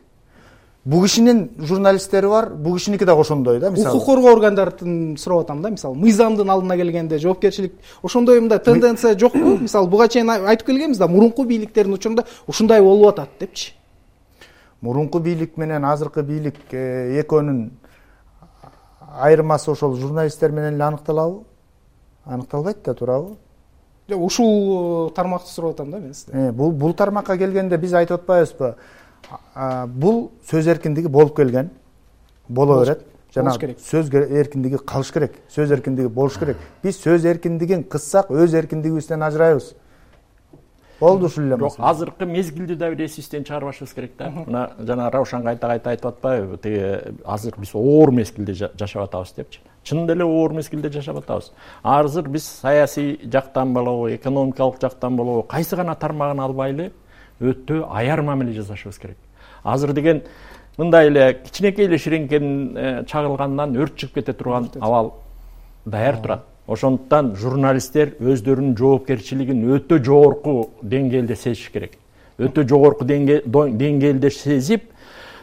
Бул кишинин журналисттери бар, бул кишиники дагы ошондой да, мисалы. Укук коргоо органдарын сурап атам да, мисалы, мыйзамдын алдына келгенде жоопкерчилик ошондой мындай тенденция жокпу? Мисалы, буга чейин айтып келгенбиз да, мурунку бийликтердин учурунда ушундай болуп атат депчи. Мурунку бийлик менен азыркы бийлик экөөнүн айырмасы ошол журналисттер менен эле аныкталабы? Аныкталбайт да, туурабы? Ушул тармакты сурап атам да мен сизден. Бул тармакка келгенде биз айтып атпайбызбы? Бул сөз эркиндиги болуп келген, боло берет. Жана сөз эркиндиги калыш керек, сөз эркиндиги болуш керек. Биз сөз эркиндигин кыссак, өз эркиндигибизден ажырайбыз. Болду ушул эле. Жок, азыркы мезгилди да бир эсибизден чыгарбашыбыз керек да. Мына жана Раушан кайта айтып атпайбы? Тиги азыр биз оор мезгилде жашап атабыз депчи. Чынында эле оор мезгилде жашап атабыз. Азыр биз саясий жактан болобу, экономикалык жактан болобу, кайсы гана тармагын албайлы өтө аяр мамиле жасашыбыз керек. Азыр деген мындай эле кичинекей эле ширеңкенин чагылгандан өрт чыгып кете турган абал даяр турат. Ошондуктан журналисттер өздөрүнүн жоопкерчилигин өтө жогорку деңгээлде сезиш керек. Өтө жогорку деңгээлде сезип,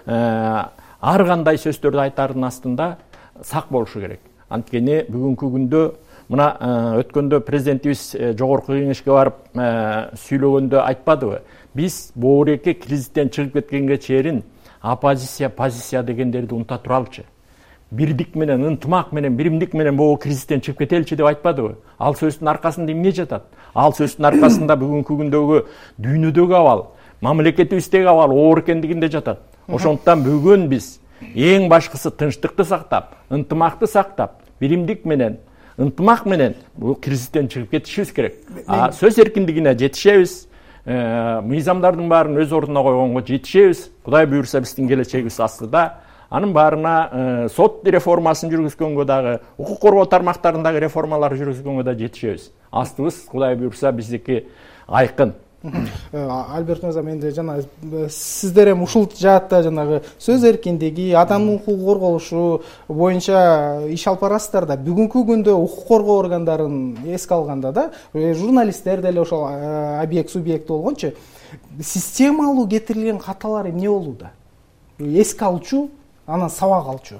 ар кандай сөздөрдү айтардын астында сак болушу керек. Анткени бүгүнкү күндө мына өткөндө президентибиз жогорку кеңешке барып сүйлөгөндө айтпадыбы? Биз боореке кризистен чыгып кеткенге чейин оппозиция, позиция дегендерди унута туралычы. Бирдик менен, ынтымак менен, биримдик менен бул кризистен чыгып кетеличи деп айтпадыбы? Ал сөздүн аркасында эмне жатат? Ал сөздүн аркасында бүгүнкү күндөгү дүйнөдөгү абал, мамлекетибиздеги абал оор экендигинде жатат. Ошондуктан бүгүн биз эң башкысы тынчтыкты сактап, ынтымакты сактап, биримдик менен, ынтымак менен бул кризистен чыгып кетишибиз керек. Сөз эркиндигине жетишебиз. Мыйзамдардын баарын өз ордуна койгонго жетишебиз. Кудай буйрса биздин келечегибиз астыда. Анын баарына сот реформасын жүргүзгөнгө дагы, укук коргоо тармактарындагы реформалар жүргүзгөнгө да жетишебиз. Астыбыз Кудай буйрса биздики айкын. Альберт мырза, менде жана сиздер эми ушул жаатта жанагы сөз эркиндиги, адамдын укугу корголушу боюнча иш алып барасыздар да. Бүгүнкү күндө укук коргоо органдарын эске алганда да, журналисттер деле ошол объект, субъект болгончу, системалуу кетирилген каталар эмне болууда? Эске алчу, анан сабак алчу.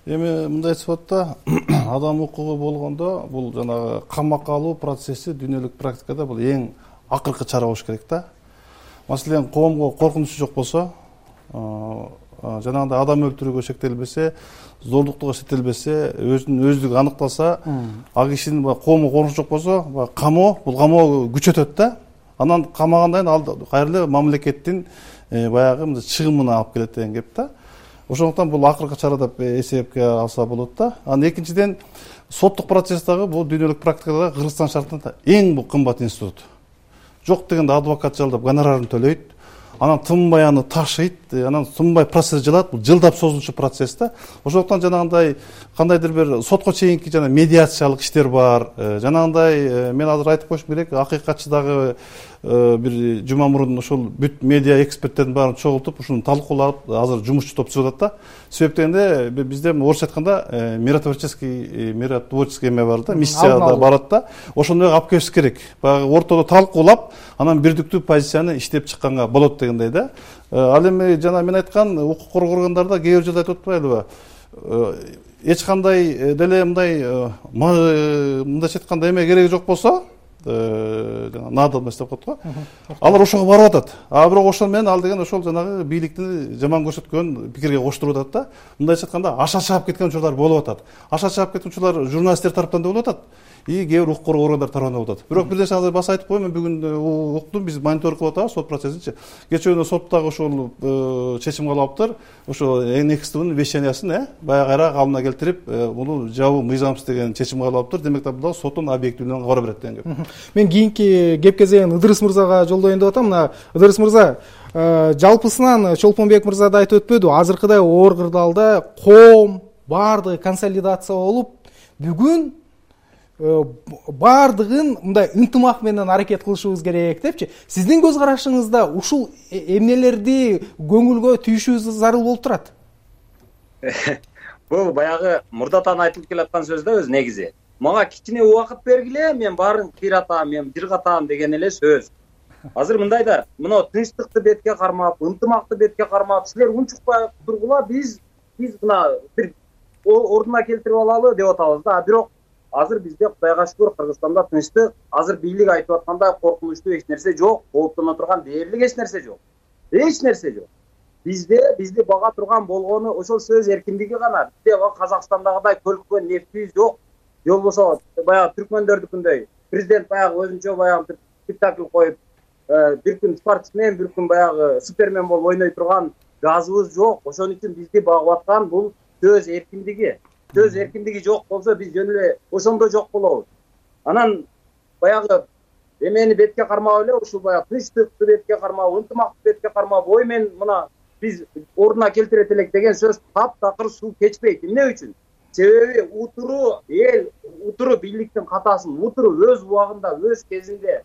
Эми мындай сипатта адам укугу болгондо бул жанагы камакка алуу процесси дүйнөлүк практикада бул эң акыркы чара болуш керек да. Маселен, коомго коркунучу жок болсо, жанагындай адам өлтүрүүгө шектелбесе, зордуктуга шектелбесе, өзүнүн өздүгү аныкталса, ал кишинин коомго коркунучу жок болсо, камоо, бул камоо күчөтөт да. Анан камагандан ал кайрылы мамлекеттин баягы чыгымына алып келет деген кеп да. Ошондуктан бул акыркы чара деп эсепке алса болот да. Анан экинчиден, соттук процесстагы бул дүйнөлүк практикада Кыргызстан шартында эң бул кымбат институт. Жок дегенде адвокат жалдап гонорарын төлөйт, анан тынбай аны ташыйт, анан тынбай процесс жылат, бул жылдап созулчу процесс да. Ошондуктан жанагындай кандайдыр бир сотко чейинки жана медиациялык иштер бар. Жанагындай мен азыр айтып коюшум керек, акыйкатчы дагы бир жума мурун ошол бүт медиа эксперттердин баарын чогултуп, ушуну талкуулап, азыр жумушчу топ түзүп атат да. Себеп дегенде бизде орусча айтканда миротворческий эме бар да, миссия да барат да. Ошондой алып келиш керек. Баягы ортодо талкуулап, анан бирдиктүү позицияны иштеп чыкканга болот дегендей да. Ал эми жана мен айткан укук коргоо органдарда кээ бир жерде айтып атпайлыбы? Эч кандай деле мындайча айтканда эме кереги жок болсо, надобность деп коет го. Алар ошого барып атат. Бирок ошол менен ал деген ошол жанагы бийликти жаман көрсөткөн пикирге коштуруп атат да. Мындайча айтканда аша чаап кеткен учурлар болуп атат. Аша чаап кеткен учурлар журналисттер тараптан да болуп атат. и кээ бир укук коргоо органдары тарабынан болуп атат. Бирок бир нерсе азыр баса айтып коеюн, мен бүгүн уктум, биз мониторинг кылып атабыз сот процессинчи. Кечээ күнү соттогу ошол чечим кабыл алыптыр. Ошо NXTVнын вещаниясын баягы кайра калыбына келтирип, муну жабуу мыйзамсыз деген чечим кабыл алыптыр. Демек бул соттун объективдүүлүгүнө кабар берет деген кеп. Мен кийинки кеп кезегин Ыдырыс мырзага жолдоюн деп атам. Мына Ыдырыс мырза, жалпысынан Чолпонбек мырза да айтып өтпөдү, азыркыдай оор кырдаалда коом баардыгы консолидация болуп, бүгүн баардыгын мындай ынтымак менен аракет кылышыбыз керек депчи. Сиздин көз карашыңызда ушул эмнелерди көңүлгө түйүшүбүз зарыл болуп турат? Бул баягы мурдатан айтылып келаткан сөз да өз негизи. Мага кичине убакыт бергиле, мен баарын кыйратам, мен жыргатам деген эле сөз. Азыр мындай да, мына тынчтыкты бетке кармап, ынтымакты бетке кармап, силер унчукпай тургула, биз мына бир ордуна келтирип алалы деп атабыз да. Бирок азыр бизде Кудайга шүгүр Кыргызстанда тынчтык, азыр бийлик айтып аткандай коркунучтуу эч нерсе жок, кооптоно турган дээрлик эч нерсе жок. Эч нерсе жок. Бизди бага турган болгону ошол сөз эркиндиги гана. Бизде Казакстандагыдай көлккөн нефти жок. Же болбосо баягы түркмөндөрдүкүндөй президент баягы өзүнчө баягы спектакль коюп, бир күн спортсмен, бир күн баягы супермен болуп ойной турган газыбыз жок. Ошон үчүн бизди багып аткан бул сөз эркиндиги. Сөз эркиндиги жок болсо биз жөн эле ошондо жок болобуз. Анан баягы эмени бетке кармап эле ушул баягы тынчтыкты бетке кармап, ынтымакты бетке кармап, ой мен мына биз ордуна келтирет элек деген сөз таптакыр суу кечпейт. Эмне үчүн? Себеби утуру бийликтин катасын, утуру өз убагында, өз кезинде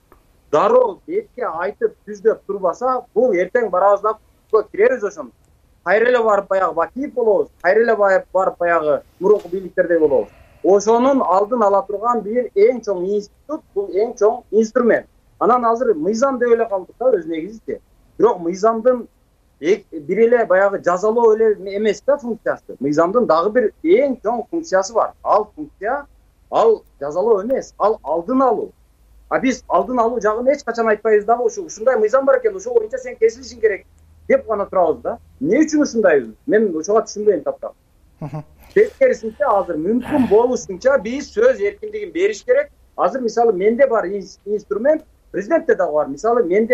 дароо бетке айтып түздөп турбаса, бул эртең барабызда киребиз ошондо. Кайра эле барып баягы Бакиев болобуз, кайра эле барып баягы мурунку бийликтердей болобуз. Ошонун алдын ала турган бир эң чоң институт, бул эң чоң инструмент. Анан азыр мыйзам деп эле калдык да өз негизинде. Бирок мыйзамдын бир эле баягы жазалоо эле эмес да функциясы. Мыйзамдын дагы бир эң чоң функциясы бар. Ал функция, ал жазалоо эмес, ал алдын алуу. А биз алдын алуу жагын эч качан айтпайбыз дагы, ушундай мыйзам бар экен, ошол боюнча сен кесилишиң керек деп гана турабыз да. Эмне үчүн ушундайбыз? Мен ошого түшүнбөйм таптак. Тескерисинче азыр мүмкүн болушунча биз сөз эркиндигин бериш керек. Азыр мисалы менде бар инструмент, президентте дагы бар. Мисалы мен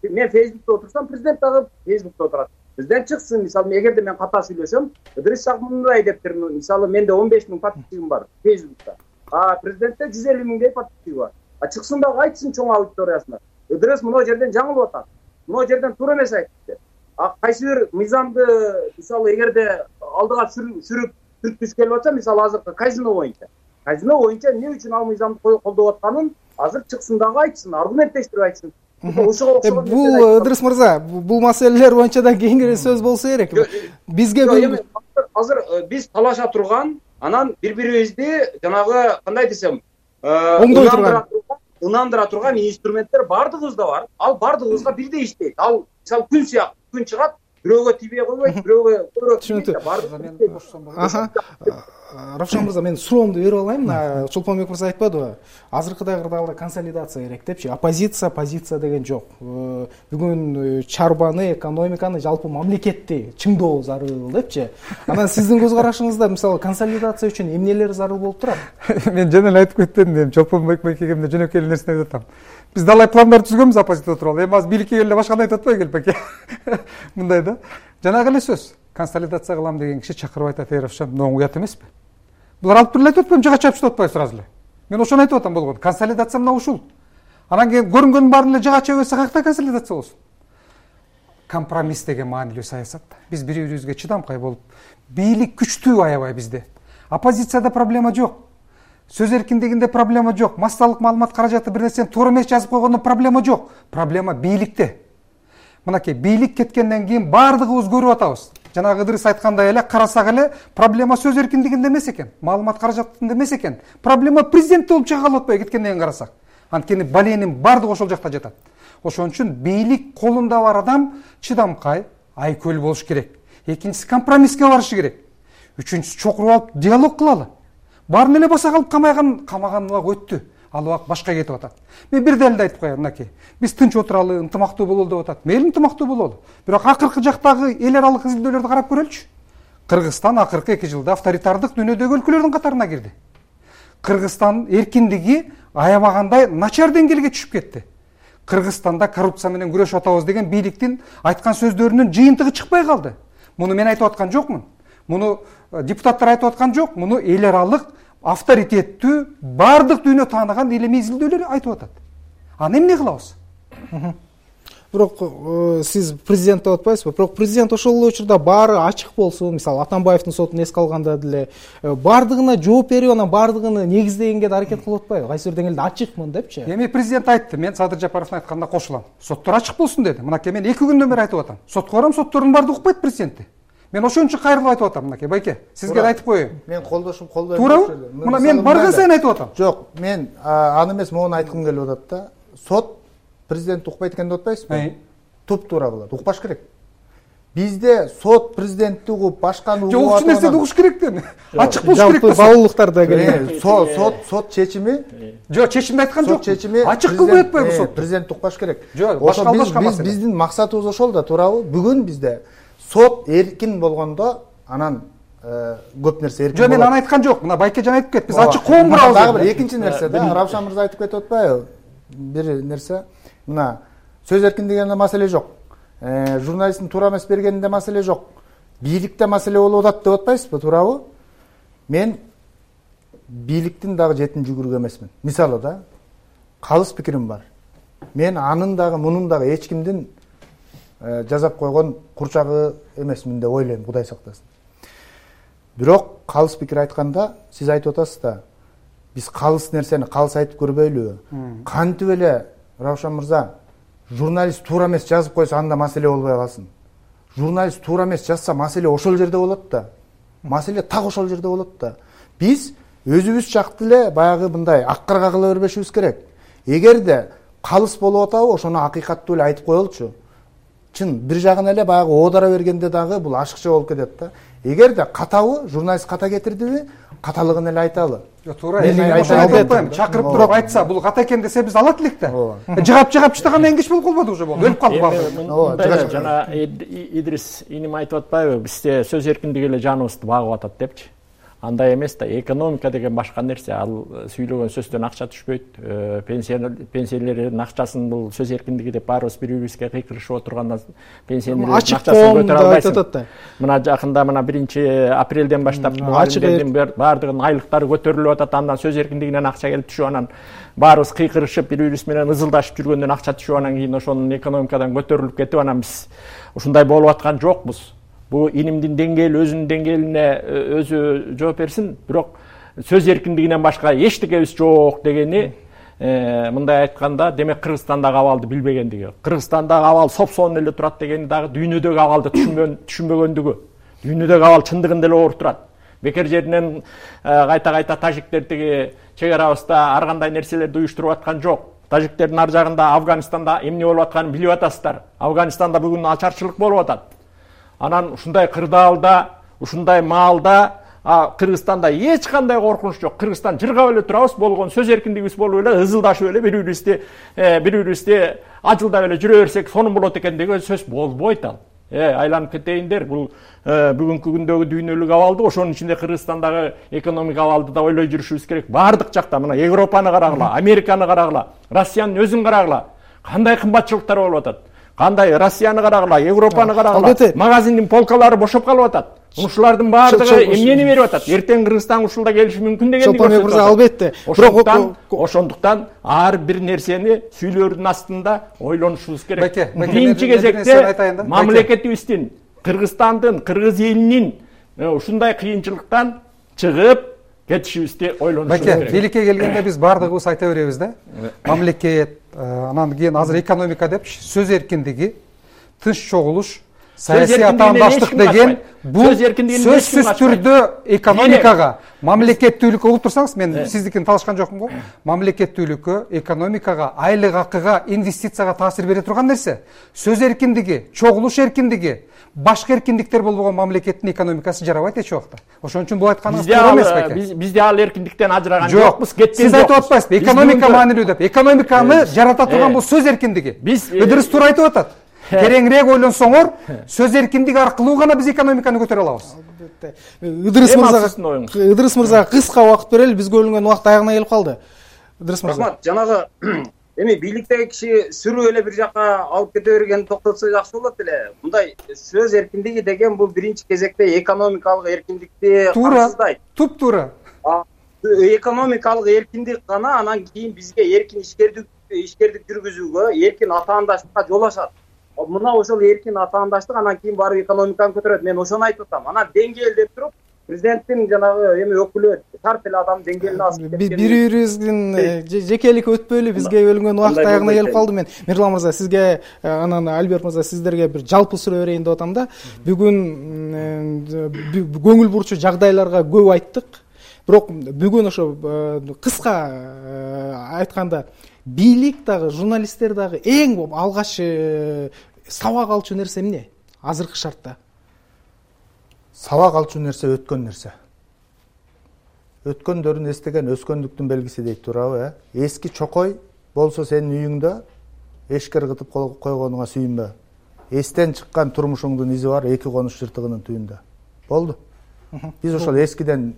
Facebook'та отурсам, президент дагы Facebook'та отурат. Президент чыксын, мисалы эгерде мен ката сүйлөсөм, Ыдырыс мындай дептир, мисалы менде 15 000 подписчигим бар Facebook'та. А президентте 150 000 подписчиги бар. А чыксын дагы айтсын чоң аудиториясына. Ыдырыс мына жерден жаңылып атат. Мына жерден туура эмес айтты. А кайсы бир мыйзамды мисалы эгерде алдыга сүрүп түрткүс келип атса, мисалы азыркы казино боюнча эмне үчүн ал мыйзамды колдоп атканын азыр чыксын дагы айтсын, аргументтештирип айтсын. Бул Ыдырыс мырза, бул маселелер боюнча да кийинки сөз болсо керек. Бизге азыр биз талаша турган, анан бири-бирибизди жанагы кандай десем, ынандыра турган инструменттер бардыгыбызда бар. Ал бардыгыбызга бирдей иштейт. Ал мисалы күн сыяктуу, күн чыгат, бирөөгө тийбей койбойт, бирөөгө көбүрөөк тийбейт. Равшан мырза, мен суроомду берип алайын. Мына Чолпонбек мырза айтпадыбы? Азыркыдай кырдаалда консолидация керек депчи. Позиция деген жок. Бүгүн чарбаны, экономиканы, жалпы мамлекетти чыңдоо зарыл депчи. Анан сиздин көз карашыңызда мисалы консолидация үчүн эмнелер зарыл болуп турат? Мен жана эле айтып кеттим, Чолпонбек байкемде жөнөкөй эле нерсени айтып атам. Биз далай пландар түзгөнбүз оппозиция тууралуу. Эми азыр бийликке келе башканы айтып атпай келбеке. Мындай да. Жанагы эле сөз. Консолидация кылам деген киши чакырып айтат, Равшан, мына уят эмеспи? Булар алып туруп айтып атпайбы, жага чапып туруп атпайбы сразу эле? Мен ошону айтып атам болгон. Консолидация мына ушул. Анан кийин көрүнгөнүн баарын эле жага чапып атса каяктан консолидация болсун? Компромисс деген маанилүү саясат. Биз бири-бирибизге чыдамкай болуп, бийлик күчтүү аябай бизде. Оппозицияда проблема жок. Сөз эркиндигинде проблема жок. Массалык маалымат каражаты бир нерсени туура эмес жазып койгондо проблема жок. Проблема бийликте. Мынакей бийлик кеткенден кийин баардыгыбыз көрүп атабыз. Жанагы Ыдырыс айткандай эле карасак эле проблема сөз эркиндигинде эмес экен, маалымат каражатында эмес экен. Проблема президентте болуп чыга калып атпайбы кеткенден кийин карасак. Анткени баленин баардыгы ошол жакта жатат. Ошон үчүн бийлик колунда бар адам чыдамкай, айкөл болуш керек. Экинчиси компромисске барышы керек. Үчүнчүсү чокуруп алып диалог кылалы. Баарын эле баса калып камаган убак өттү. Ал убак башка кетип атат. Мен бир дәлелди айтып коеюн, мынакей. Биз тынч отуралы, ынтымактуу бололу деп атат. Мейли ынтымактуу бололу. Бирок акыркы жактагы эл аралык изилдөөлөрдү карап көрөлүчү. Кыргызстан акыркы 2 жылда авторитардык дүйнөдөгү өлкөлөрдүн катарына кирди. Кыргызстан эркиндиги аябагандай начар деңгээлге түшүп кетти. Кыргызстанда коррупция менен күрөшүп атабыз деген бийликтин айткан сөздөрүнүн жыйынтыгы чыкпай калды. Муну мен айтып аткан жокмун. Муну депутаттар айтып аткан жок. Муну эл аралык авторитеттүү баардык дүйнө тааныган илимий изилдөөлөр айтып атат. Аны эмне кылабыз? Бирок сиз президент деп атпайсызбы? Бирок президент ошол эле учурда баары ачык болсун, мисалы Атамбаевдин сотун эске алганда деле баардыгына жооп берип, анан баардыгын негиздегенге да аракет кылып атпайбы? Кайсы бир деңгээлде ачыкмын депчи. Эми президент айтты, мен Садыр Жапаровдун айтканына кошулам. Соттор ачык болсун деди. Мынакей мен 2 күндөн бери айтып атам. Сотко барам, соттордун баардыгы укпайт президентти. Мен ошон үчүн кайрылып айтып атам, мынакей байке. Сизге да айтып коеюн. Мен колдошум колдойм. Туурабы? Мына мен барган сайын айтып атам. Жок, мен аны эмес, моуну айткым келип атат да. Сот президент укпайт экен деп атпайсызбы? Туп-туура болот. Укпаш керек. Бизде сот президентти угуп, башканы угуп Жок, ушул нерсени угуш керек да. Ачык болуш керек да. Баалуулуктарда келет. Сот чечими. Жок, чечимди айткан жок. Сот чечими ачык кылбай атпайбы сот? Президент укпаш керек. Жок, башка маселе. Биздин максатыбыз ошол да, туурабы? Бүгүн бизде сот эркин болгондо анан көп нерсе эркин болот. Жок, мен аны айткан жок. Мына байке жана айтып кетти. Биз ачык коом курабыз. Дагы бир экинчи нерсе да, Равшан мырза айтып кетип атпайбы? Бир нерсе. Мына сөз эркиндигинде маселе жок. Журналисттин туура эмес бергенинде маселе жок. Бийликте маселе болуп атат деп атпайсызбы, туурабы? Мен бийликтин дагы жетін жүгүрүк эмесмин. Мисалы да, калыс пикирим бар. Мен анын дагы, мунун дагы эч кимдин жазап койгон курчагы эмесмин деп ойлойм, Кудай сактасын. Бирок калыс пикир айтканда, сиз айтып атасыз да, биз калыс нерсени калыс айтып көрбөйлүбү? Кантип эле, Равшан мырза, журналист туура эмес жазып койсо анда маселе болбой калсын. Журналист туура эмес жазса маселе ошол жерде болот да. Маселе так ошол жерде болот да. Биз өзүбүз жакты эле баягы мындай аккырга кыла бербешибиз керек. Эгерде калыс болуп атабы, ошону акыйкаттуу эле айтып коелучу. Чын бир жагын эле баягы оодара бергенде дагы бул ашыкча болуп кетет да. Эгерде катабы, журналист ката кетирдиби, каталыгын эле айталы. Туура, чакырып туруп айтса, бул ката экен десе биз алат элек да. Жыгап чыгам энгич болуп калбады уже болду. Өлүп калды баары. Жана Идрис иним айтып атпайбы, бизде сөз эркиндиги эле жаныбызды багып атат депчи. Андай эмес да, экономика деген башка нерсе. Ал сүйлөгөн сөздөн акча түшпөйт. Пенсиялердин акчасын бул сөз эркиндиги деп баарыбыз бири-бирибизге кыйкырышып отургандан пенсиялердин акчасын көтөрө албайсың. Мына жакында 1-апрелден баштап мугалимдердин баардыгынын айлыктары көтөрүлүп атат. Андан сөз эркиндигинен акча келип түшүп, анан баарыбыз кыйкырышып, бири-бирибиз менен ызылдашып жүргөндөн акча түшүп, анан кийин ошонун экономикадан көтөрүлүп кетип, анан биз ушундай болуп аткан жокпуз. Бул инимдин деңгээли өзүнүн деңгээлине өзү жооп берсин, бирок сөз эркиндигинен башка эчтекебиз жок дегени мындай айтканда, демек Кыргызстандагы абалды билбегендиги. Кыргызстандагы абал сопсоон эле турат дегени дагы дүйнөдөгү абалды түшүнбөгөндүгү. Дүйнөдөгү абал чындыгында эле ооруп турат. Бекер жеринен кайта тажиктер тиги чек арабызда ар кандай нерселерди уюштуруп аткан жок. Тажиктердин ар жагында Афганистанда эмне болуп атканын билип атасыздар. Афганистанда бүгүн ачарчылык болуп атат. Анан ушундай кырдаалда, ушундай маалда Кыргызстанда эч кандай коркунуч жок. Кыргызстан жыргап эле турабыз, болгон сөз эркиндигибиз болуп эле, ызылдашып эле бири-бирибизди ажылдап эле жүрө берсек сонун болот экен деген сөз болбойт ал. Айланып кетейиндер, бул бүгүнкү күндөгү дүйнөлүк абалды, ошонун ичинде Кыргызстандагы экономик абалды да ойлой жүрүшүбүз керек. Бардык жакта, мына Европаны карагыла, Американы карагыла, Россиянын өзүн карагыла, кандай кымбатчылыктар болуп атат. Кандай Россияны карагыла, Европаны карагыла, магазиндин полкалары бошоп калып атат. Ушулардын баардыгы эмнени берип атат? Эртең Кыргызстан ушулда келиши мүмкүн дегенди көрсөтүп атат. Албетте. Ошондуктан ар бир нерсени сүйлөөрдүн астында ойлонушубуз керек. Биринчи кезекте мамлекетибиздин, Кыргызстандын, кыргыз элинин ушундай кыйынчылыктан чыгып кетишибизди ойлонушубуз керек. Бийликке келгенде биз баардыгыбыз айта беребиз да. Мамлекет, анан кийин азыр экономика деп сөз эркиндиги, тынч чогулуш, саясий атаандаштык деген бул сөзсүз түрдө экономикага, мамлекеттүүлүккө угуп турсаңыз, мен сиздикин талашкан жокмун го. Мамлекеттүүлүккө, экономикага, айлык акыга, инвестицияга таасир бере турган нерсе. Сөз эркиндиги, чогулуш эркиндиги, башка эркиндиктер болбогон мамлекеттин экономикасы жарабайт эч убакта. Ошон үчүн бул айтканыңыз туура эмес беке. Бизде ал эркиндиктен ажыраган жокпуз, кеткен жокпуз. Сиз айтып атпайсызбы, экономика маанилүү деп. Экономиканы жарата турган бул сөз эркиндиги. Ыдырыс туура айтып атат. тереңирээк ойлонсоңор, сөз эркиндиги аркылуу гана биз экономиканы көтөрө алабыз. Ыдырыс мырза кыска убакыт берели, бизге бөлүнгөн убакыт аягына келип калды. Ыдырыс мырза. Рахмат. Жанагы эми бийликтеги киши сүрүү эле бир жака алып кете бергенин токтотсо жакшы болот эле. Мындай сөз эркиндиги деген бул биринчи кезекте экономикалык эркиндикти камсыздайт. Туп-туура. Экономикалык эркиндик гана анан кийин бизге эркин ишкердик жүргүзүүгө, эркин атаандаштыкка жол ачат. Мына ошол эркин атаандаштык анан кийин барып экономиканы көтөрөт. Мен ошону айтып атам. Анан деңгээл деп туруп, президенттин жанагы эми өкүлү шарт эле адам деңгээлине асып кеткен. Бири-бирибиздин жекелик өтпөйлү, бизге бөлүнгөн убакыт аягына келип калды. Мен Мирлан мырза сизге, анан Альберт мырза сиздерге бир жалпы суроо берейин деп атам да. Бүгүн көңүл бурчу жагдайларга көп айттык. Бирок бүгүн ошо кыска айтканда бийлик дагы, журналисттер дагы эң алгач сабак алчу нерсе эмне азыркы шартта? Сабак алчу нерсе өткөн нерсе. Өткөндөрүн эстеген өскөндүктүн белгиси дейт туурабы? Эски чокой болсо сенин үйүңдө эшкер кытып койгонуңа сүйүнбө. Эстен чыккан турмушуңдун изи бар эки конуш жыртыгынын түбүндө. Болду. Биз ошол эскиден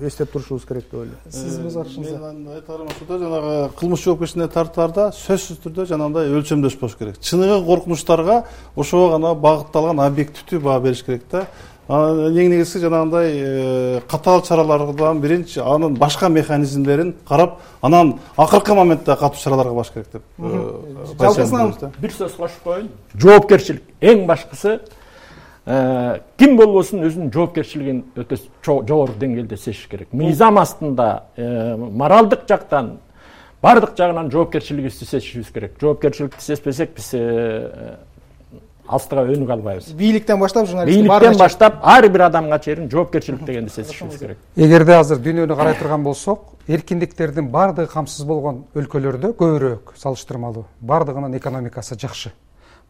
эстеп турушубуз керек деп ойлойм. Сиз музарчыңыз. Мен айтарым ошодо, жанагы кылмыш жоопкерчилигине тартаарда сөзсүз түрдө жанагындай өлчөмдөш болуш керек. Чыныгы коркунучтарга ошого гана багытталган объективдүү баа бериш керек да. Эң негизгиси жанагындай катаал чаралардан биринчи анын башка механизмдерин карап, анан акыркы моментте катуу чараларга баш керек деп. Жалпысынан бир сөз кошуп коеюн. Жоопкерчилик эң башкысы ким болбосун өзүнүн жоопкерчилигин өтө жогору деңгээлде сезиш керек. Мыйзам астында моралдык жактан баардык жагынан жоопкерчилигибизди сезишибиз керек. Жоопкерчиликти сезбесек биз астыга өнүгө албайбыз. Бийликтен баштап бийликтен баштап ар бир адамга чейин жоопкерчилик дегенди сезишибиз керек. Эгерде азыр дүйнөнү карай турган болсок, эркиндиктердин баардыгы камсыз болгон өлкөлөрдө көбүрөөк салыштырмалуу баардыгынын экономикасы жакшы.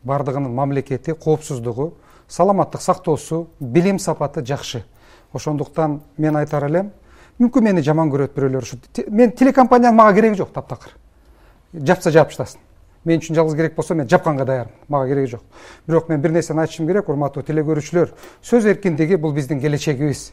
Баардыгынын мамлекети, коопсуздугу, саламаттык сактоосу, билим сапаты жакшы. Ошондуктан мен айтар элем, мүмкүн мени жаман көрөт бирөөлөр, мен телекомпанияның мага кереги жок, таптакыр. Жапса жапыштасын. Мен үчүн жалгыз керек болсо мен жапканга даярмын, мага кереги жок. Бирок мен бир нерсени айтышым керек, урматтуу теле көрүүчүлөр. Сөз эркиндиги бул биздин келечегибиз.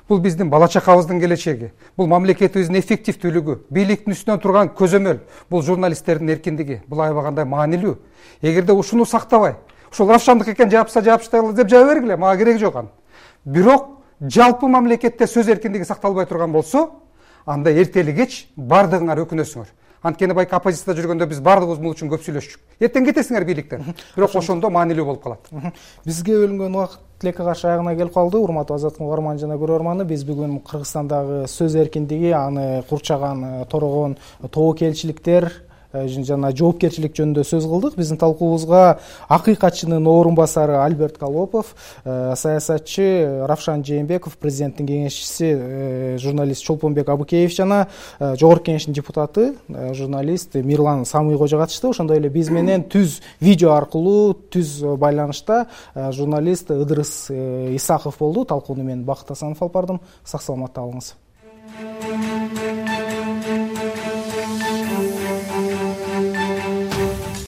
Бул биздин бала чакабыздын келечеги. Бул мамлекетибиздин эффективдүүлүгү, бийликтин үстүнөн турган көзөмөл, бул журналисттердин эркиндиги. Бул аябагандай маанилүү. Эгерде ушуну сактабай, ушул Равшандык экен жапса жапыштайлы деп жаба бергиле, мага кереги жок анын. Бирок жалпы мамлекетте сөз эркиндиги сакталбай турган болсо, анда эртели кеч баардыгыңар өкүнөсүңөр. Анткени байки оппозицияда жүргөндө биз баардыгыбыз бул үчүн көп сүйлөшчүк. Эртең кетесиңер бийликтен. Бирок ошондо маанилүү болуп калат. Бизге бөлүнгөн убакыт тилекке каршы аягына келип калды. Урматтуу Азаттык угарман жана көрөрманы, биз бүгүн Кыргызстандагы сөз эркиндиги, аны курчаган, торогон тобокелчиликтер жана жоопкерчилик жөнүндө сөз кылдык. Биздин талкуубузга акыйкатчынын орун басары Альберт Колопов, саясатчы Равшан Жээнбеков, президенттин кеңешчиси журналист Чолпонбек Абыкеев жана жогорку кеңештин депутаты журналист Мирлан Самый кожо катышты. Ошондой эле биз менен түз видео аркылуу түз байланышта журналист Ыдырыс Исаков болду. Талкууну мен Бакыт Асанов алып бардым. Сак саламатта калыңыз.